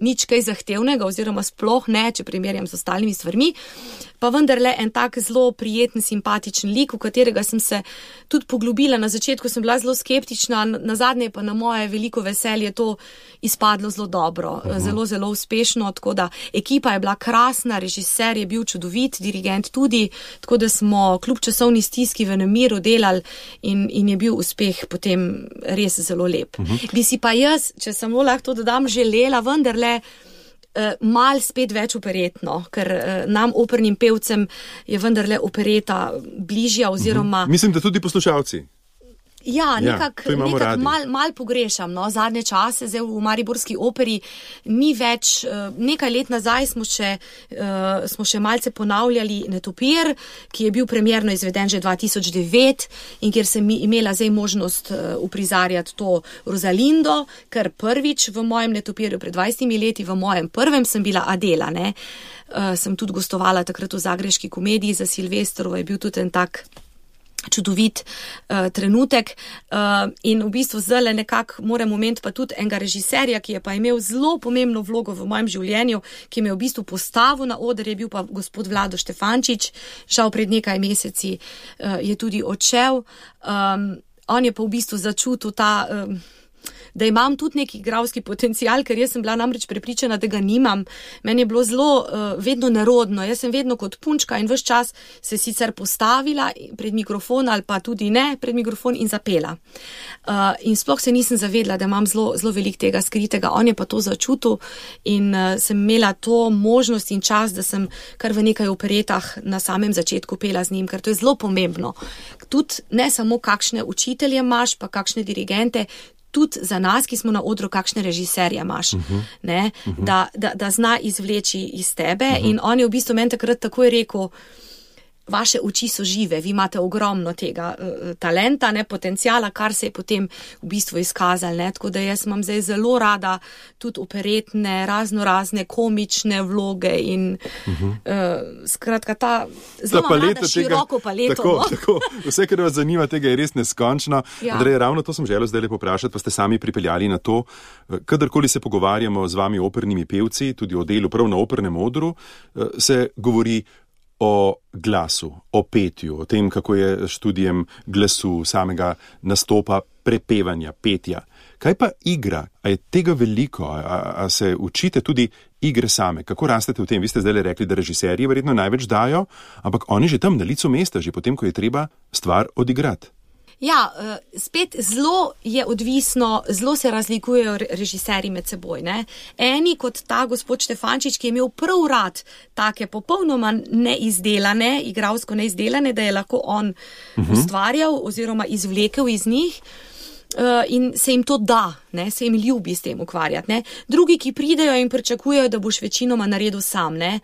nič kaj zahtevnega oziroma sploh ne, če primerjam z ostalimi stvarmi, pa vendarle en tak zelo prijeten, simpatičen lik, v katerega sem se tudi poglobila. Na začetku sem bila zelo skeptična, na zadnje pa na moje veliko veselje to izpadlo zelo dobro, uh-huh. zelo, zelo uspešno, tako da ekipa je bila krasna, režiser je bil čudovit, dirigent tudi, tako da smo kljub časovni stiski v nemiru delali in, in je bil uspeh potem res zelo lep. Uh-huh. Bi si pa jaz, če samo lahko to dodam, želela vendarle mal spet več operetno, ker nam opernim pevcem je vendarle opereta bližja oziroma... Mislim, da tudi poslušalci. Ja, nekako ja, nekak mal, mal pogrešam, no, zadnje čase, zdaj v mariborski operi ni več, nekaj let nazaj smo še, uh, smo še malce ponavljali Netopir, ki je bil premierno izveden že dva tisoč devet in kjer sem imela zdaj možnost uh, uprizarjati to Rosalindo, ker prvič v mojem Netopirju pred dvajsetimi leti, v mojem prvem sem bila Adela, ne, uh, sem tudi gostovala takrat v Zagrebški komediji za Silvestrovo, je bil tudi en tak čudovit uh, trenutek uh, in v bistvu zdaj nekako moram omeniti pa tudi enega režiserja, ki je pa imel zelo pomembno vlogo v mojem življenju, ki me je v bistvu postavil na oder, je bil pa gospod Vlado Štefančič, žal pred nekaj meseci uh, je tudi odšel. Um, on je pa v bistvu začutil ta um, da imam tudi neki igralski potencial, ker jaz sem bila namreč prepričana, da ga nimam. Meni je bilo zelo uh, vedno nerodno. Jaz sem vedno kot punčka in ves čas se sicer postavila pred mikrofon ali pa tudi ne pred mikrofon in zapela. Uh, in sploh se nisem zavedla, da imam zelo, zelo veliko tega skritega. On je pa to začutil in uh, sem imela to možnost in čas, da sem kar v nekaj operetah na samem začetku pela z njim, ker to je zelo pomembno. Tudi ne samo kakšne učitelje imaš, pa kakšne dirigente, tudi za nas, ki smo na odru, kakšne režiserje imaš, uh-huh. ne, uh-huh. Da, da, da zna izvleči iz tebe uh-huh. in on je v bistvu meni takrat takoj rekel, vaše oči so žive, vi imate ogromno tega uh, talenta, ne, potencijala, kar se je potem v bistvu izkazal, ne, tako da jaz imam zdaj zelo rada tudi operetne, razno razne komične vloge in uh-huh. uh, skratka ta zelo ta rada tega, široko paleto. Tako, no? tako, vse, kar vas zanima, tega je res neskončno. Ja. Andrej, ravno to sem želel zdaj le poprašati, pa ste sami pripeljali na to, kadarkoli se pogovarjamo z vami opernimi pevci, tudi o delu prav na opernem odru, se govori o glasu, o petju, o tem, kako je študijem glasu, samega nastopa, prepevanja, petja. Kaj pa igra? A je tega veliko? A, a se učite tudi igre same? Kako rastete v tem? Vi ste zdaj rekli, da režiserji verjetno največ dajo, ampak oni že tam na licu mesta, že potem, ko je treba stvar odigrati. Ja, spet zelo je odvisno, zelo se razlikujejo režiserji med seboj. Ne? Eni kot ta gospod Štefančič, ki je imel prav rad take popolnoma neizdelane, igralsko neizdelane, da je lahko on uh-huh. ustvarjal oziroma izvlekel iz njih. Uh, in se jim to da, ne? Se jim ljubi s tem ukvarjati. Ne? Drugi, ki pridejo in pričakujejo, da boš večinoma naredil sam. Ne?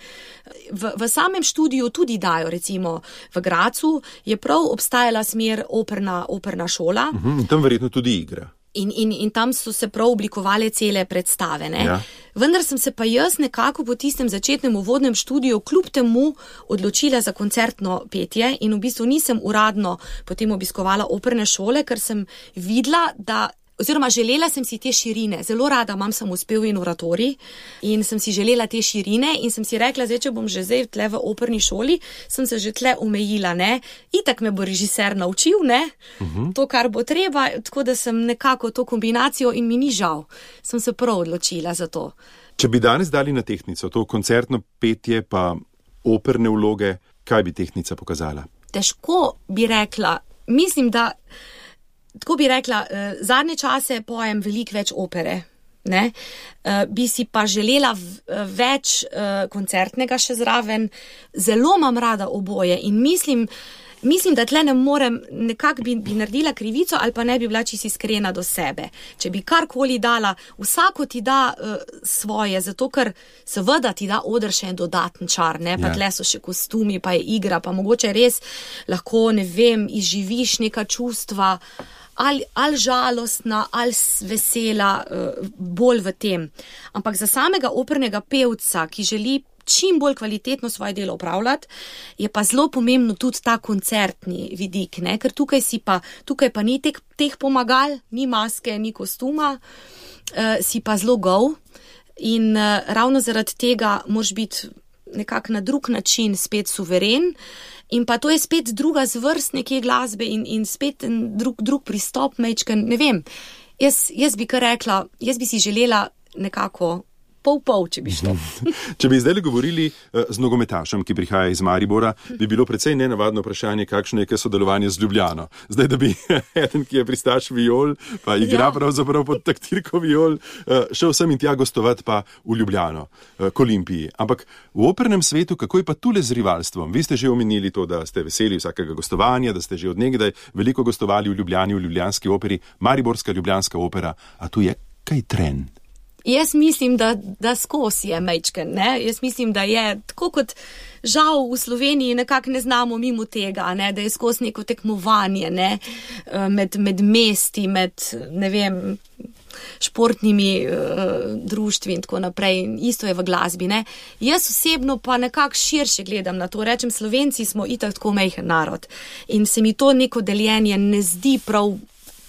V, v samem študiju tudi dajo, recimo v Gracu je prav obstajala smer operna, operna šola. Uh-huh, in tam verjetno tudi igra. In, in, in tam so se prav oblikovale cele predstave. Ne? Ja. Vendar sem se pa jaz nekako po tistem začetnem uvodnem študiju kljub temu odločila za koncertno petje in v bistvu nisem uradno potem obiskovala operne šole, ker sem videla, da oziroma želela sem si te širine, zelo rada imam samospev in oratorij in sem si želela te širine in sem si rekla, zdaj, če bom že zdaj tle v operni šoli, sem se že tle omejila, ne, itak me bo režiser naučil, ne, uh-huh. to, kar bo treba, tako da sem nekako to kombinacijo in mi ni žal, sem se prav odločila za to. Če bi danes dali na tehtnico to koncertno petje pa operne vloge, kaj bi tehtnica pokazala? Težko bi rekla, mislim, da tako bi rekla, eh, zadnje čase pojem veliko več opere, ne? Eh, bi si pa želela v, več eh, koncertnega še zraven, zelo imam rada oboje in mislim, mislim, da tle ne morem, nekako bi, bi naredila krivico ali pa ne bi bila čisto iskrena do sebe. Če bi karkoli dala, vsako ti da uh, svoje, zato ker seveda ti da oder še en dodaten čar, ne, pa ja. Tle so še kostumi, pa je igra, pa mogoče res lahko, ne vem, izživiš neka čustva, ali, ali žalostna, ali vesela, uh, bolj v tem. Ampak za samega opernega pevca, ki želi čim bolj kvalitetno svoje delo upravljati, je pa zelo pomembno tudi ta koncertni vidik, ne? Ker tukaj si pa, tukaj pa ni teh, teh pomagal, ni maske, ni kostuma, uh, si pa zelo gol in uh, ravno zaradi tega moraš biti nekako na drug način spet suveren in pa to je spet druga zvrst neke glasbe in, in spet drug, drug pristop, mečken, ne vem. Jaz, jaz bi kar rekla, jaz bi si želela nekako pol-pol, če bi šlo. Če bi zdaj govorili uh, z nogometašem, ki prihaja iz Maribora, bi bilo precej nenavadno vprašanje, kakšno je sodelovanje z Ljubljano. Zdaj, da bi eden, ki je pristaš viol, pa igra ja. Pravzaprav pod taktirko viol, uh, šel sem in tja gostovati pa v Ljubljano, uh, k Olimpiji. Ampak v opernem svetu, kako je pa tule z rivalstvom? Vi ste že omenili to, da ste veseli vsakega gostovanja, da ste že od nekdaj veliko gostovali v Ljubljani, v ljubljanski operi, Mariborska ljubljanska opera, a tu je kaj tren? Jaz mislim, da, da skozi je mečken, ne? Jaz mislim, da je tako kot žal v Sloveniji nekako ne znamo mimo tega, ne? Da je skozi neko tekmovanje, ne? Med, med mesti, med, ne vem, športnimi uh, društvi in tako naprej. Isto je v glasbi, ne? Jaz osebno pa nekako širše gledam na to. Rečem, Slovenci smo itak tako majhen narod in se mi to neko deljenje ne zdi prav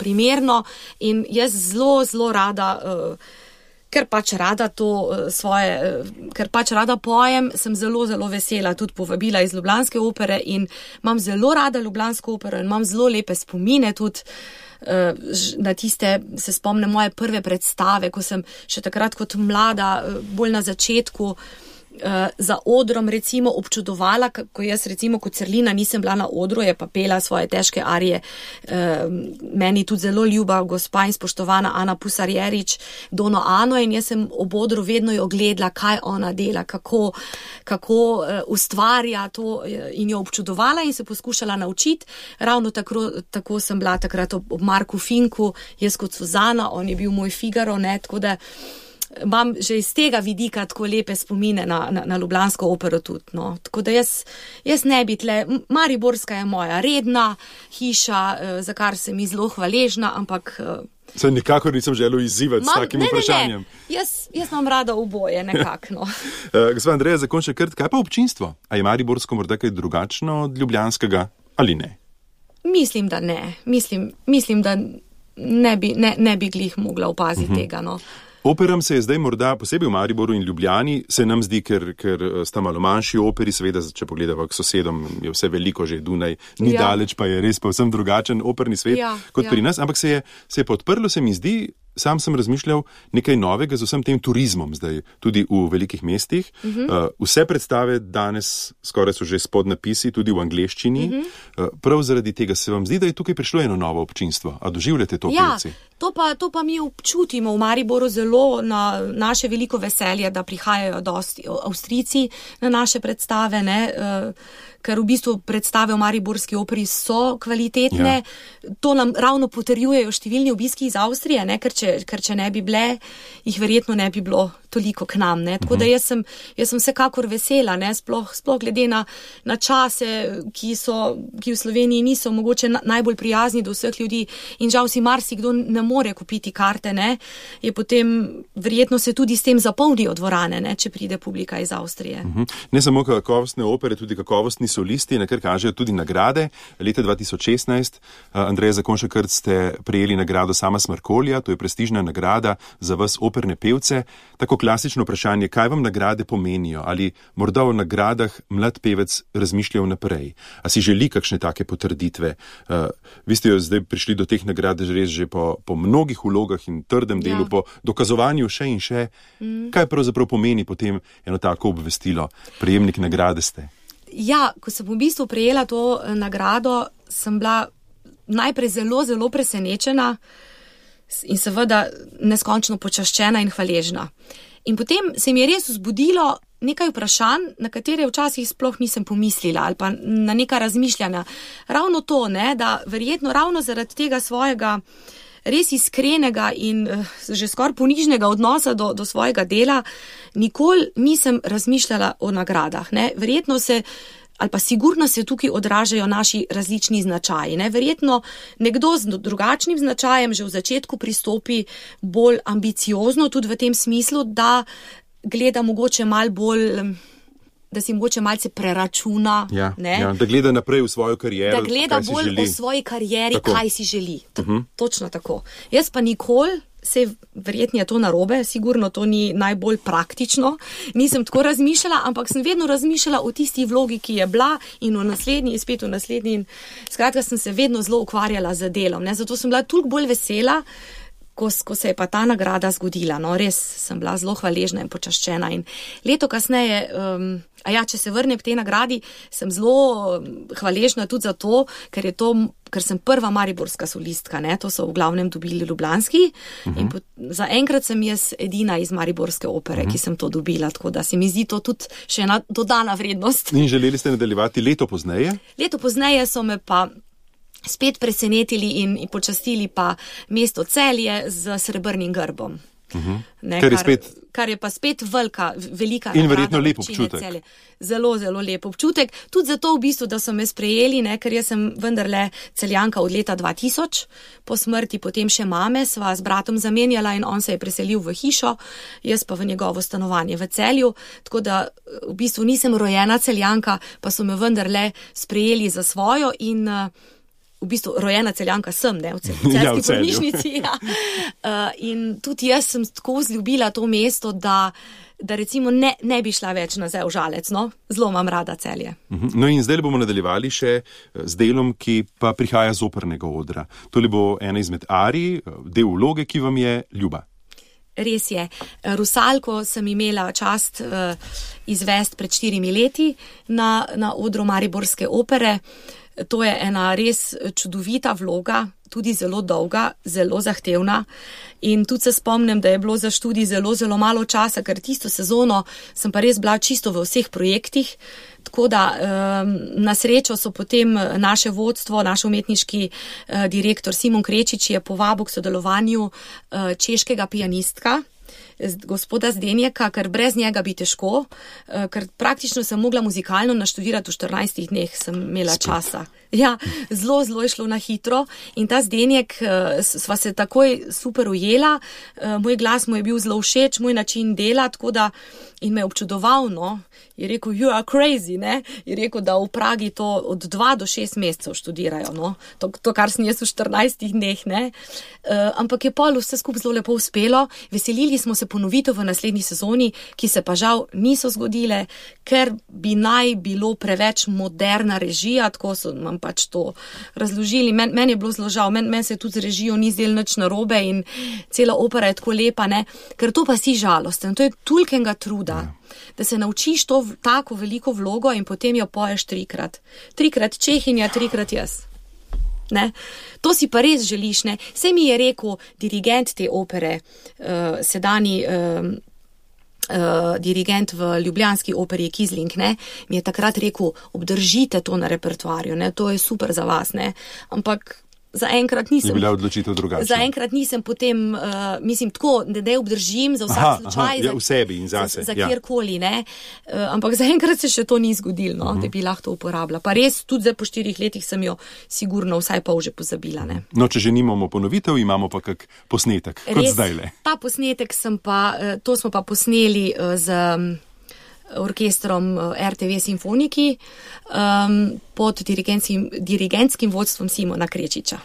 primerno in jaz zelo, zelo rada uh, ker pač rada to svoje, ker pač rada pojem, sem zelo, zelo vesela tudi povabila iz Ljubljanske opere in imam zelo rada Ljubljansko opero in imam zelo lepe spomine tudi na tiste, se spomnim moje prve predstave, ko sem še takrat kot mlada, bolj na začetku, za odrom recimo občudovala, ko jaz recimo kot Crlina nisem bila na odru, je pa pela svoje težke arije. Meni tudi zelo ljuba gospa in spoštovana Ana Pusarjerič, Dono Ano, in jaz sem ob odru vedno jo gledala, kaj ona dela, kako, kako ustvarja to in jo občudovala in se poskušala naučiti. Ravno tako, tako sem bila takrat ob, ob Marku Finku, jaz kot Suzana, on je bil moj Figaro, ne, tako da imam že iz tega vidika tako lepe spomine na, na, na Ljubljansko opero tudi, no. Tako da jaz, jaz ne bi tle, Mariborska je moja redna hiša, za kar sem ji zelo hvaležna, ampak se nikakor nisem želel izzivati s takim ne, vprašanjem. Ne, ne. Jaz, jaz imam rada oboje, nekako, no. Gospa Andreja Zakonjšek-Krt, kaj pa občinstvo? A je mariborsko morda kaj drugačno od ljubljanskega ali ne? Mislim, da ne. Mislim, mislim da ne bi, ne, ne bi glih mogla opaziti uh-huh. tega, no. Operam se je zdaj morda, posebej v Mariboru in Ljubljani, se nam zdi, ker, ker sta malo manjši operi, seveda, če pogledava k sosedom, je vse veliko, že Dunaj ni ja. daleč, pa je res povsem drugačen operni svet ja, kot ja. pri nas, ampak se je, se je podprlo, se mi zdi, sam sem razmišljal nekaj novega z vsem tem turizmom zdaj, tudi v velikih mestih. Uh-huh. Uh, vse predstave danes skoraj so že s podnapisi, tudi v angleščini. Uh-huh. Uh, prav zaradi tega se vam zdi, da je tukaj prišlo eno novo občinstvo. A doživljate to, ja, pevci? To pa, to pa mi občutimo v Mariboru zelo na naše veliko veselje, da prihajajo dosti Avstrijci na naše predstave, ne, uh, ker v bistvu predstave v mariborski operi so kvalitetne. Ja. To nam ravno potrjujejo številni obiski iz Avstrije, ne, ker če, ker če ne bi bile, jih verjetno ne bi bilo toliko k nam, ne. Tako uh-huh. da jaz sem, jaz sem vsekakor vesela, ne, sploh, sploh glede na, na čase, ki so, ki v Sloveniji niso mogoče na, najbolj prijazni do vseh ljudi in žal si marsikdo ne more kupiti karte, ne, je potem verjetno se tudi s tem zapolnijo dvorane, ne, če pride publika iz Avstrije. Uh-huh. Ne samo kakovostne opere, tudi kakovostni solisti, na kar kažejo tudi nagrade. Leta dva tisoč šestnajst, Andreja Zakonjšek-Krt, ste prejeli nagrado Sama Smrkolja, to je prestižna nagrada za vas operne pevce. Tako klasično vprašanje, kaj vam nagrade pomenijo? Ali morda o nagradah mlad pevec razmišlja vnaprej? A si želi kakšne take potrditve? Uh, vi ste jo zdaj prišli do teh nagrad res že po, po mnogih vlogah in trdem ja. delu, po dokazovanju še in še. Mm. Kaj pravzaprav pomeni potem eno tako obvestilo? Prejemnik nagrade ste. Ja, ko sem v bistvu prejela to nagrado, sem bila najprej zelo, zelo presenečena in seveda neskončno počaščena in hvaležna. In potem se mi je res vzbudilo nekaj vprašanj, na katere včasih sploh nisem pomislila ali pa na neka razmišljanja. Ravno to, ne, da verjetno ravno zaradi tega svojega res iskrenega in uh, že skoraj ponižnega odnosa do, do svojega dela, nikoli nisem razmišljala o nagradah. Ne. Verjetno se, ali pa sigurno se tukaj odražajo naši različni značaji. Ne. Verjetno nekdo z drugačnim značajem že v začetku pristopi bolj ambiciozno, tudi v tem smislu, da gleda mogoče mal bolj, da si mogoče malce preračuna. Ja, ne? Ja, da gleda naprej v svojo kariero, da gleda kaj si bolj želi. O svoji karieri, tako. Kaj si želi. T- uh-huh. Točno tako. Jaz pa nikoli, se verjetno je to narobe, sigurno to ni najbolj praktično, nisem tako razmišljala, ampak sem vedno razmišljala o tisti vlogi, ki je bila in v naslednji, spet v naslednji. In skratka, sem se vedno zelo ukvarjala z delom. Ne? Zato sem bila toliko bolj vesela, Ko, ko se je pa ta nagrada zgodila. No, res sem bila zelo hvaležna in počaščena. In leto kasneje, um, a ja, če se vrnem k tej nagradi, sem zelo hvaležna tudi za to, ker je to, ker sem prva mariborska solistka, ne, to so v glavnem dobili ljubljanski. Uh-huh. In po, za enkrat sem jaz edina iz mariborske opere, uh-huh. ki sem to dobila, tako da se mi zdi to tudi še ena dodana vrednost. In želeli ste nadaljevati leto pozneje? Leto pozneje so me pa spet presenetili in, in počastili pa mesto Celje z srebrnim grbom. Uh-huh. Ne, kar, je kar, spet... kar je pa spet velika, velika in verjetno lep občutek. Celje. Zelo, zelo lep občutek. Tudi zato v bistvu, da so me sprejeli, ne, ker jaz sem vendarle Celjanka od leta dva tisoč, po smrti potem še mame, sva z bratom zamenjala in on se je preselil v hišo, jaz pa v njegovo stanovanje v Celju, tako da v bistvu nisem rojena Celjanka, pa so me vendarle sprejeli za svojo in uh, v v bistvu rojena Celjanka sem, ne, v Celjski Ja, v Celju. bolnišnici. Ja. Uh, in tudi jaz sem tako vzljubila to mesto, da, da recimo ne, ne bi šla več nazaj v Žalec, no, zelo imam rada Celje. No in zdaj bomo nadaljevali še z delom, ki pa prihaja z opernega odra. Tole bo ena izmed arij, del vloge, ki vam je ljuba. Res je. Rusalko sem imela čast uh, izvesti pred štirimi leti na, na odru Mariborske opere. To je ena res čudovita vloga, tudi zelo dolga, zelo zahtevna in tudi se spomnim, da je bilo za študij zelo, zelo malo časa, ker tisto sezono sem pa res bila čisto v vseh projektih, tako da um, na srečo so potem naše vodstvo, naš umetniški uh, direktor Simon Krečič je povabil k sodelovanju uh, češkega pianistka, gospoda Zdenjeka, ker brez njega bi težko, ker praktično sem mogla muzikalno naštudirati v štirinajstih dneh, sem imela Spet. časa. Ja, zelo, zelo je šlo na hitro in ta Zdenjek, sva se takoj super ujela, moj glas mu je bil zelo všeč, moj način dela, tako da in me je občudoval, no, je rekel, you are crazy, ne, je rekel, da v Pragi to od dva do šest mesecev študirajo, no, to, to kar sem jaz v štirinajstih dneh, ne, uh, ampak je pol vse skupaj zelo lepo uspelo, veselili smo se ponovitev v naslednji sezoni, ki se pa žal niso zgodile, ker bi naj bilo preveč moderna režija, tako so nam pač to razložili. Men, meni je bilo zelo žal, meni men se tudi z režijo ni zdelo nič narobe in cela opera je tako lepa, ne, ker to pa si žalosten, to je tolikega truda, ja. Da se naučiš to tako veliko vlogo in potem jo poješ trikrat. Trikrat Čehinja, trikrat jaz. Ne? To si pa res želiš, ne? Saj mi je rekel dirigent te opere, uh, sedani uh, uh, dirigent v ljubljanski operi Kizling, ne? Mi je takrat rekel, obdržite to na repertoarju, ne? To je super za vas, ne? Ampak zaenkrat nisem. Je bila odločitev drugačna. Zaenkrat nisem potem, uh, mislim, tako, da ne obdržim za vsak aha, slučaj. Aha, ja, v sebi in zase. Za, za ja. kjerkoli, ne. Uh, ampak zaenkrat se še to ni zgodilo, no, uh -huh. da bi lahko to uporabila. Pa res, tudi zdaj po štirih letih sem jo sigurno vsaj pol že pozabila, ne. No, če že nimamo ponovitev, imamo pa kak posnetek, res, kot zdajle. Ta posnetek sem pa, to smo pa posneli z orkestrom R T V Simfoniki um, pod dirigentskim, dirigentskim vodstvom Simona Krečiča.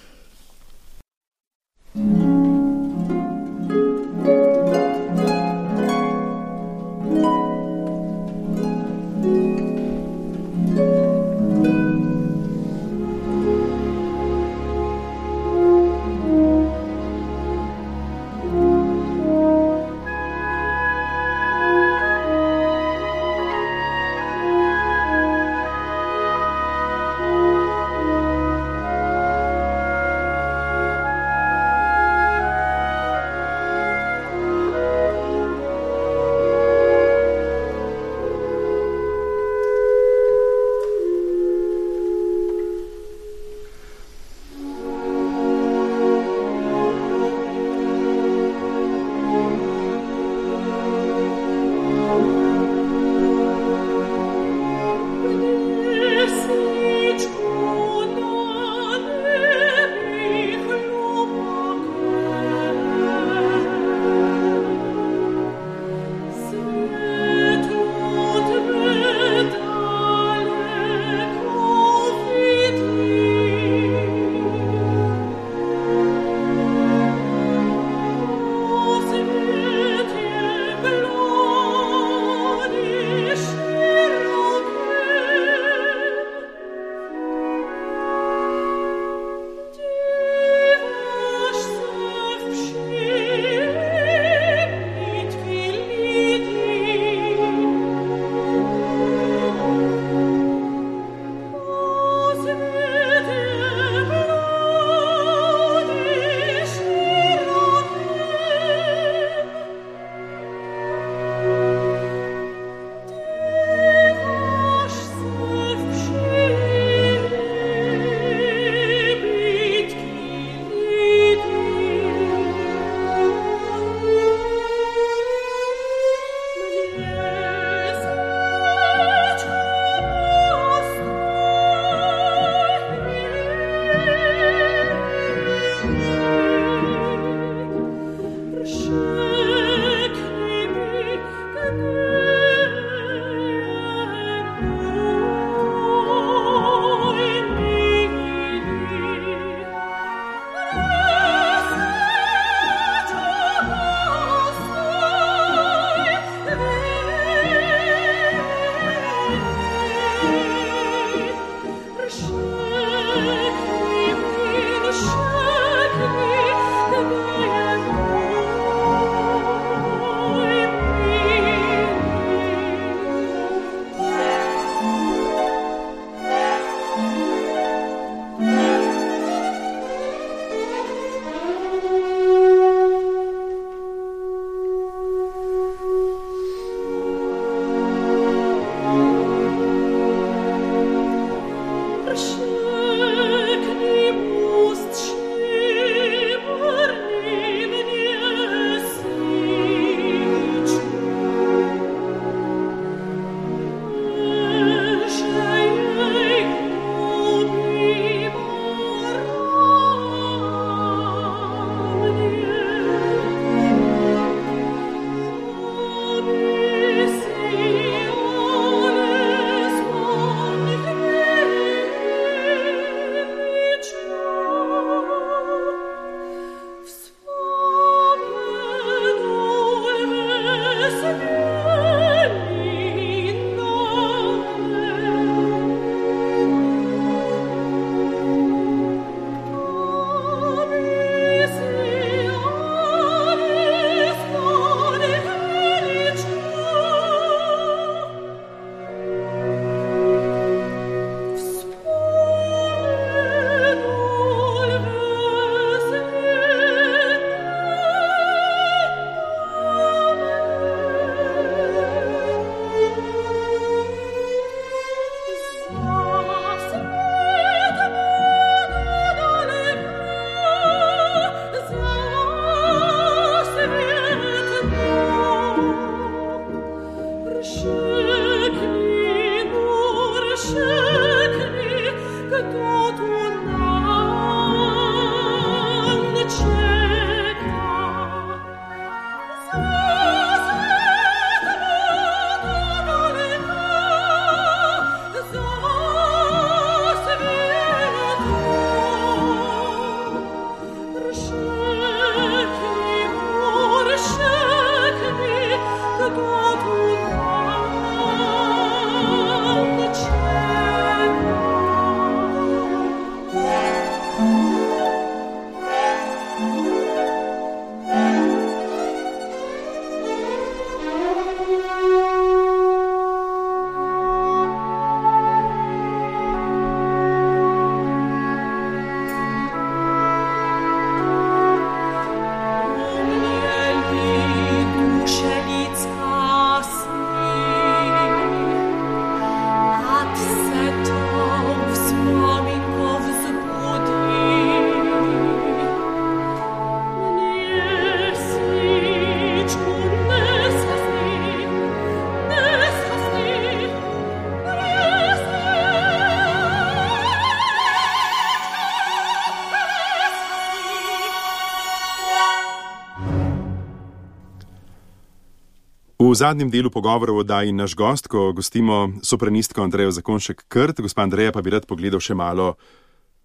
V zadnjem delu pogovora v oddaji naš gost, ko gostimo sopranistko Andrejo Zakonjšek-Krt, gospa Andreja pa bi rad pogledal še malo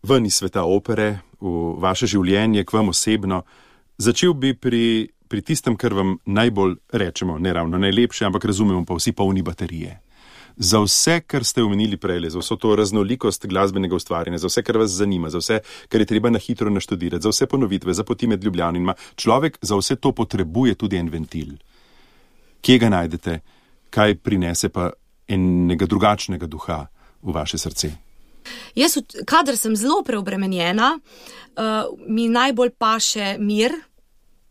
ven iz sveta opere, v vaše življenje, k vam osebno. Začel bi pri, pri tistem, kar vam najbolj rečemo, ne ravno najlepše, ampak razumemo pa vsi polni baterije. Za vse, kar ste omenili prej, za vso to raznolikost glasbenega ustvarjanja, za vse, kar vas zanima, za vse, kar je treba na hitro naštudirati, za vse ponovitve, za poti med Ljubljano in ima, človek za vse to potrebuje tudi en ventil. Kje ga najdete, kaj prinese pa enega drugačnega duha v vaše srce? Jaz, kadar sem zelo preobremenjena, uh, mi najbolj paše mir.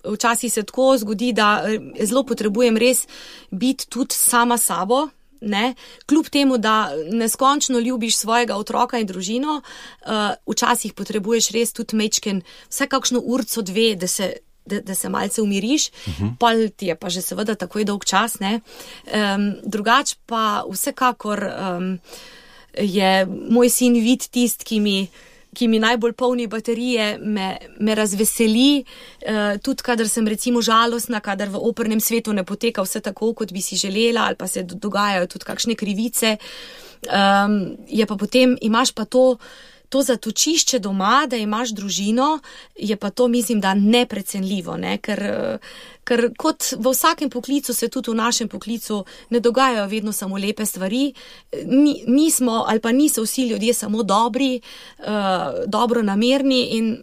Včasih se tako zgodi, da zelo potrebujem res biti tudi sama sabo. Ne? Kljub temu, da neskončno ljubiš svojega otroka in družino, uh, včasih potrebuješ res tudi mečken, vsaj kakšno urco dve, da se, da, da se malce umiriš, uh-huh. Pol ti je pa že seveda takoj dolg čas. Ne? Um, drugač pa vsekakor um, je moj sin Vid tist, ki mi ki mi najbolj polni baterije, me, me razveseli, uh, tudi kadar sem recimo žalostna, kadar v opernem svetu ne poteka vse tako, kot bi si želela, ali pa se dogajajo tudi kakšne krivice. Um, je pa potem, imaš pa to, to zatočišče doma, da imaš družino, je pa to, mislim, da neprecenljivo, ne? ker, ker kot v vsakem poklicu se tudi v našem poklicu ne dogajajo vedno samo lepe stvari, Ni, nismo ali pa niso vsi ljudje samo dobri, uh, dobro namerni in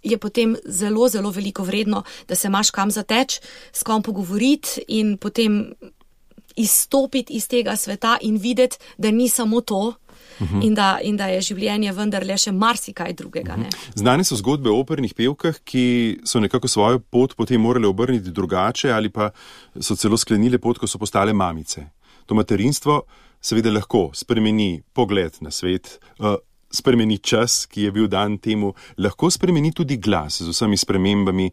je potem zelo, zelo veliko vredno, da se imaš kam zateč, s kom pogovoriti in potem izstopiti iz tega sveta in videti, da ni samo to, Uh-huh. In, da, in da je življenje vendarle še marsikaj drugega. Ne? Uh-huh. Znane so zgodbe o opernih pevkah, ki so nekako svojo pot potem morale obrniti drugače ali pa so celo sklenile pot, ko so postale mamice. To materinstvo seveda lahko spremeni pogled na svet, uh, spremeni čas, ki je bil dan temu, lahko spremeni tudi glas z vsemi spremembami.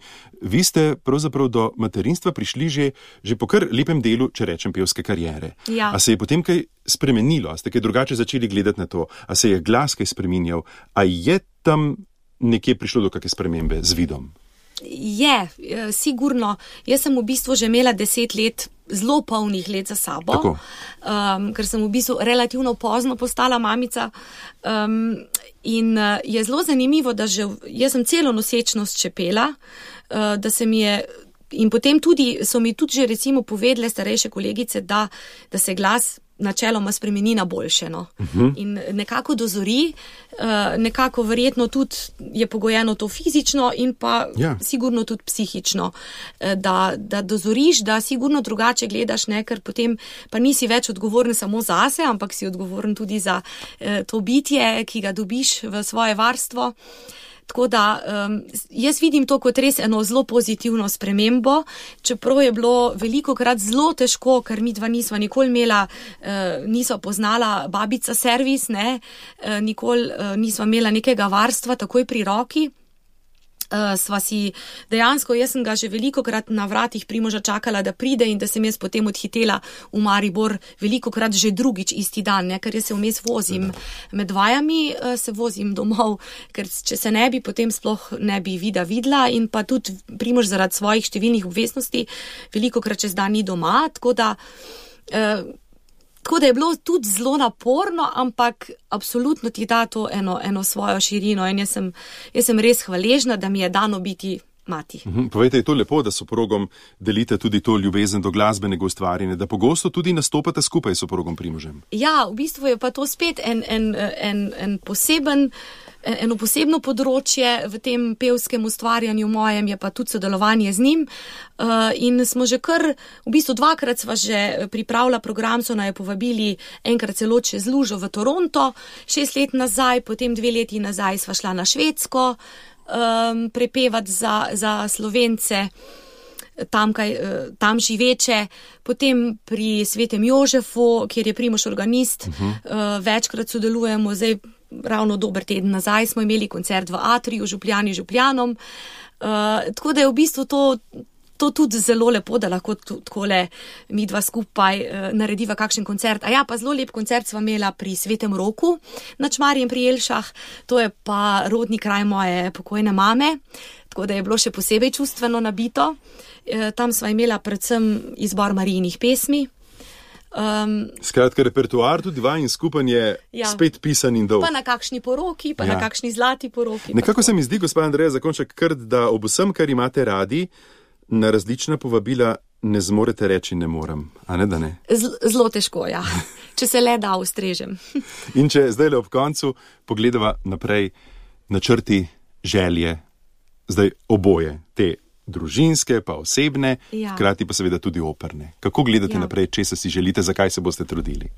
Vi ste pravzaprav do materinstva prišli že, že po kar lepem delu, če rečem, pevske kariere. Ja. A se je potem kaj spremenilo? A ste kaj drugače začeli gledati na to? A se je glas kaj spreminjal? A je tam nekje prišlo do kakšne spremembe z vidom? Je, sigurno. Jaz sem v bistvu že imela deset let, zelo polnih let za sabo, um, ker sem v bistvu relativno pozno postala mamica. Um, in uh, je zelo zanimivo, da že jaz sem celo nosečnost čepela, uh, da se mi je in potem tudi, so mi tudi že recimo povedale starejše kolegice, da, da se glas načeloma spremeni na boljše. No? Uh-huh. In nekako dozori, uh, nekako verjetno tudi je pogojeno to fizično in pa ja. Sigurno tudi psihično, uh, da, da dozoriš, da sigurno drugače gledaš, ne? Ker potem pa nisi več odgovoren samo zase, ampak si odgovoren tudi za uh, to bitje, ki ga dobiš v svoje varstvo. Tako da um, jaz vidim to kot res eno zelo pozitivno spremembo, čeprav je bilo velikokrat zelo težko, ker mi dva nisva nikoli imela, uh, nisva poznala babica servis, ne, uh, nikoli uh, nisva imela nekega varstva takoj pri roki. Uh, sva si dejansko, jaz sem ga že velikokrat na vratih Primoža čakala, da pride in da sem jaz potem odhitela v Maribor velikokrat že drugič isti dan, ne? Ker jaz se vmes vozim med vajami, uh, se vozim domov, ker če se ne bi, potem sploh ne bi vida videla in pa tudi Primož zaradi svojih številnih obveznosti velikokrat čez dan ni doma, tako da uh, Tako da je bilo tudi zelo naporno, ampak absolutno ti da to eno, eno svojo širino in jaz sem, jaz sem res hvaležna, da mi je dano biti mati. Uhum, povejte, je to lepo, da s soprogom delite tudi to ljubezen do glasbenega ustvarjanja, da pogosto tudi nastopate skupaj s soprogom Primožem. Ja, v bistvu je pa to spet en, en, en, en poseben, eno posebno področje v tem pevskem ustvarjanju mojem, je pa tudi sodelovanje z njim. Uh, in smo že kar, v bistvu dvakrat sva že pripravila program, so naj povabili enkrat celo čez lužo v Toronto, šest let nazaj, potem dve leti nazaj sva šla na Švedsko, um, prepevati za, za Slovence, tam, kaj, tam živeče, potem pri Svetem Jožefu, kjer je Primož organist, uh-huh. uh, večkrat sodelujemo, zdaj ravno dober teden nazaj smo imeli koncert v Atriju, Župljani Župljanom, uh, tako da je v bistvu to, to tudi zelo lepo, da lahko takole mi dva skupaj uh, narediva kakšen koncert. A ja, pa zelo lep koncert sva imela pri Svetem Roku na Čmarjem pri Jelšah, to je pa rodni kraj moje pokojne mame. tako da je bilo še posebej čustveno nabito. Tam sva imela predvsem izbor Marijinih pesmi. Um, Skratka, repertoar tudi vaj in skupaj je ja. spet pisan in dolg. Pa na kakšni poroki, pa ja. na kakšni zlati poroki. Nekako se mi zdi, gospod Andreja Zakonjšek, krt, da ob vsem, kar imate radi, na različna povabila ne zmorete reči ne morem. A ne, da ne? Zelo težko, ja. Če se le da ustrežem. In če zdaj le ob koncu pogledava naprej načrti, želje, zdaj oboje, te družinske, pa osebne, ja. hkrati pa seveda tudi operne. Kako gledate ja. naprej, če se si želite, zakaj se boste trudili?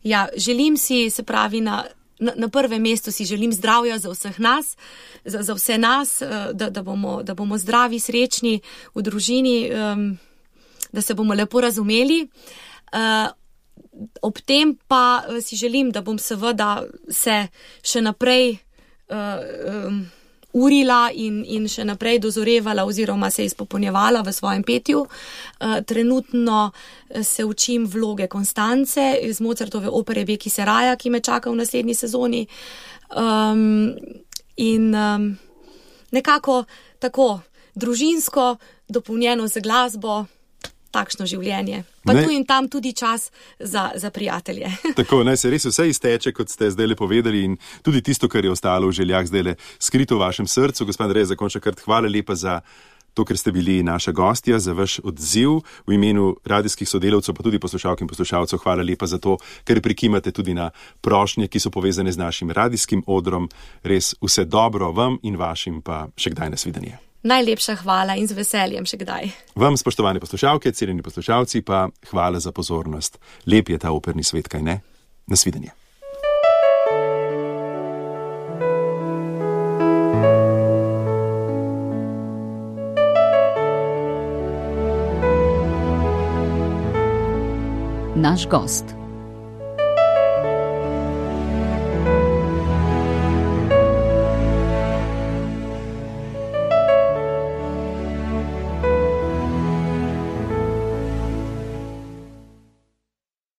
Ja, želim si, se pravi, na, na, na prvem mestu si želim zdravja za vseh nas, za, za vse nas, da, da, bomo, da bomo zdravi, srečni v družini, um, da se bomo lepo razumeli. Uh, ob tem pa si želim, da bom seveda se še naprej uh, um, urila in, in še naprej dozorevala oziroma se izpopolnjevala v svojem petju. Uh, trenutno se učim vloge Konstance iz Mozartove opere Beki Seraja, ki me čaka v naslednji sezoni. Um, in um, nekako tako družinsko, dopolnjeno z glasbo, takšno življenje. Pa ne. Tu in tam tudi čas za, za prijatelje. Tako, naj se res vse izteče, kot ste zdaj le povedali, in tudi tisto, kar je ostalo v željah zdaj le skrito v vašem srcu. Gospod Andrej Zakonjšek, hvala lepa za to, ker ste bili naša gostja, za vaš odziv v imenu radijskih sodelavcev, pa tudi poslušalk in poslušalcev. Hvala lepa za to, ker prikimate tudi na prošnje, ki so povezane z našim radijskim odrom. Res vse dobro vam in vašim, pa še kdaj nasvidenje. Najlepša hvala in z veseljem še kdaj. Vam, spoštovane poslušalke, cenjeni poslušalci, pa hvala za pozornost. Lep je ta operni svet, kaj ne? Nasvidenje. Naš gost.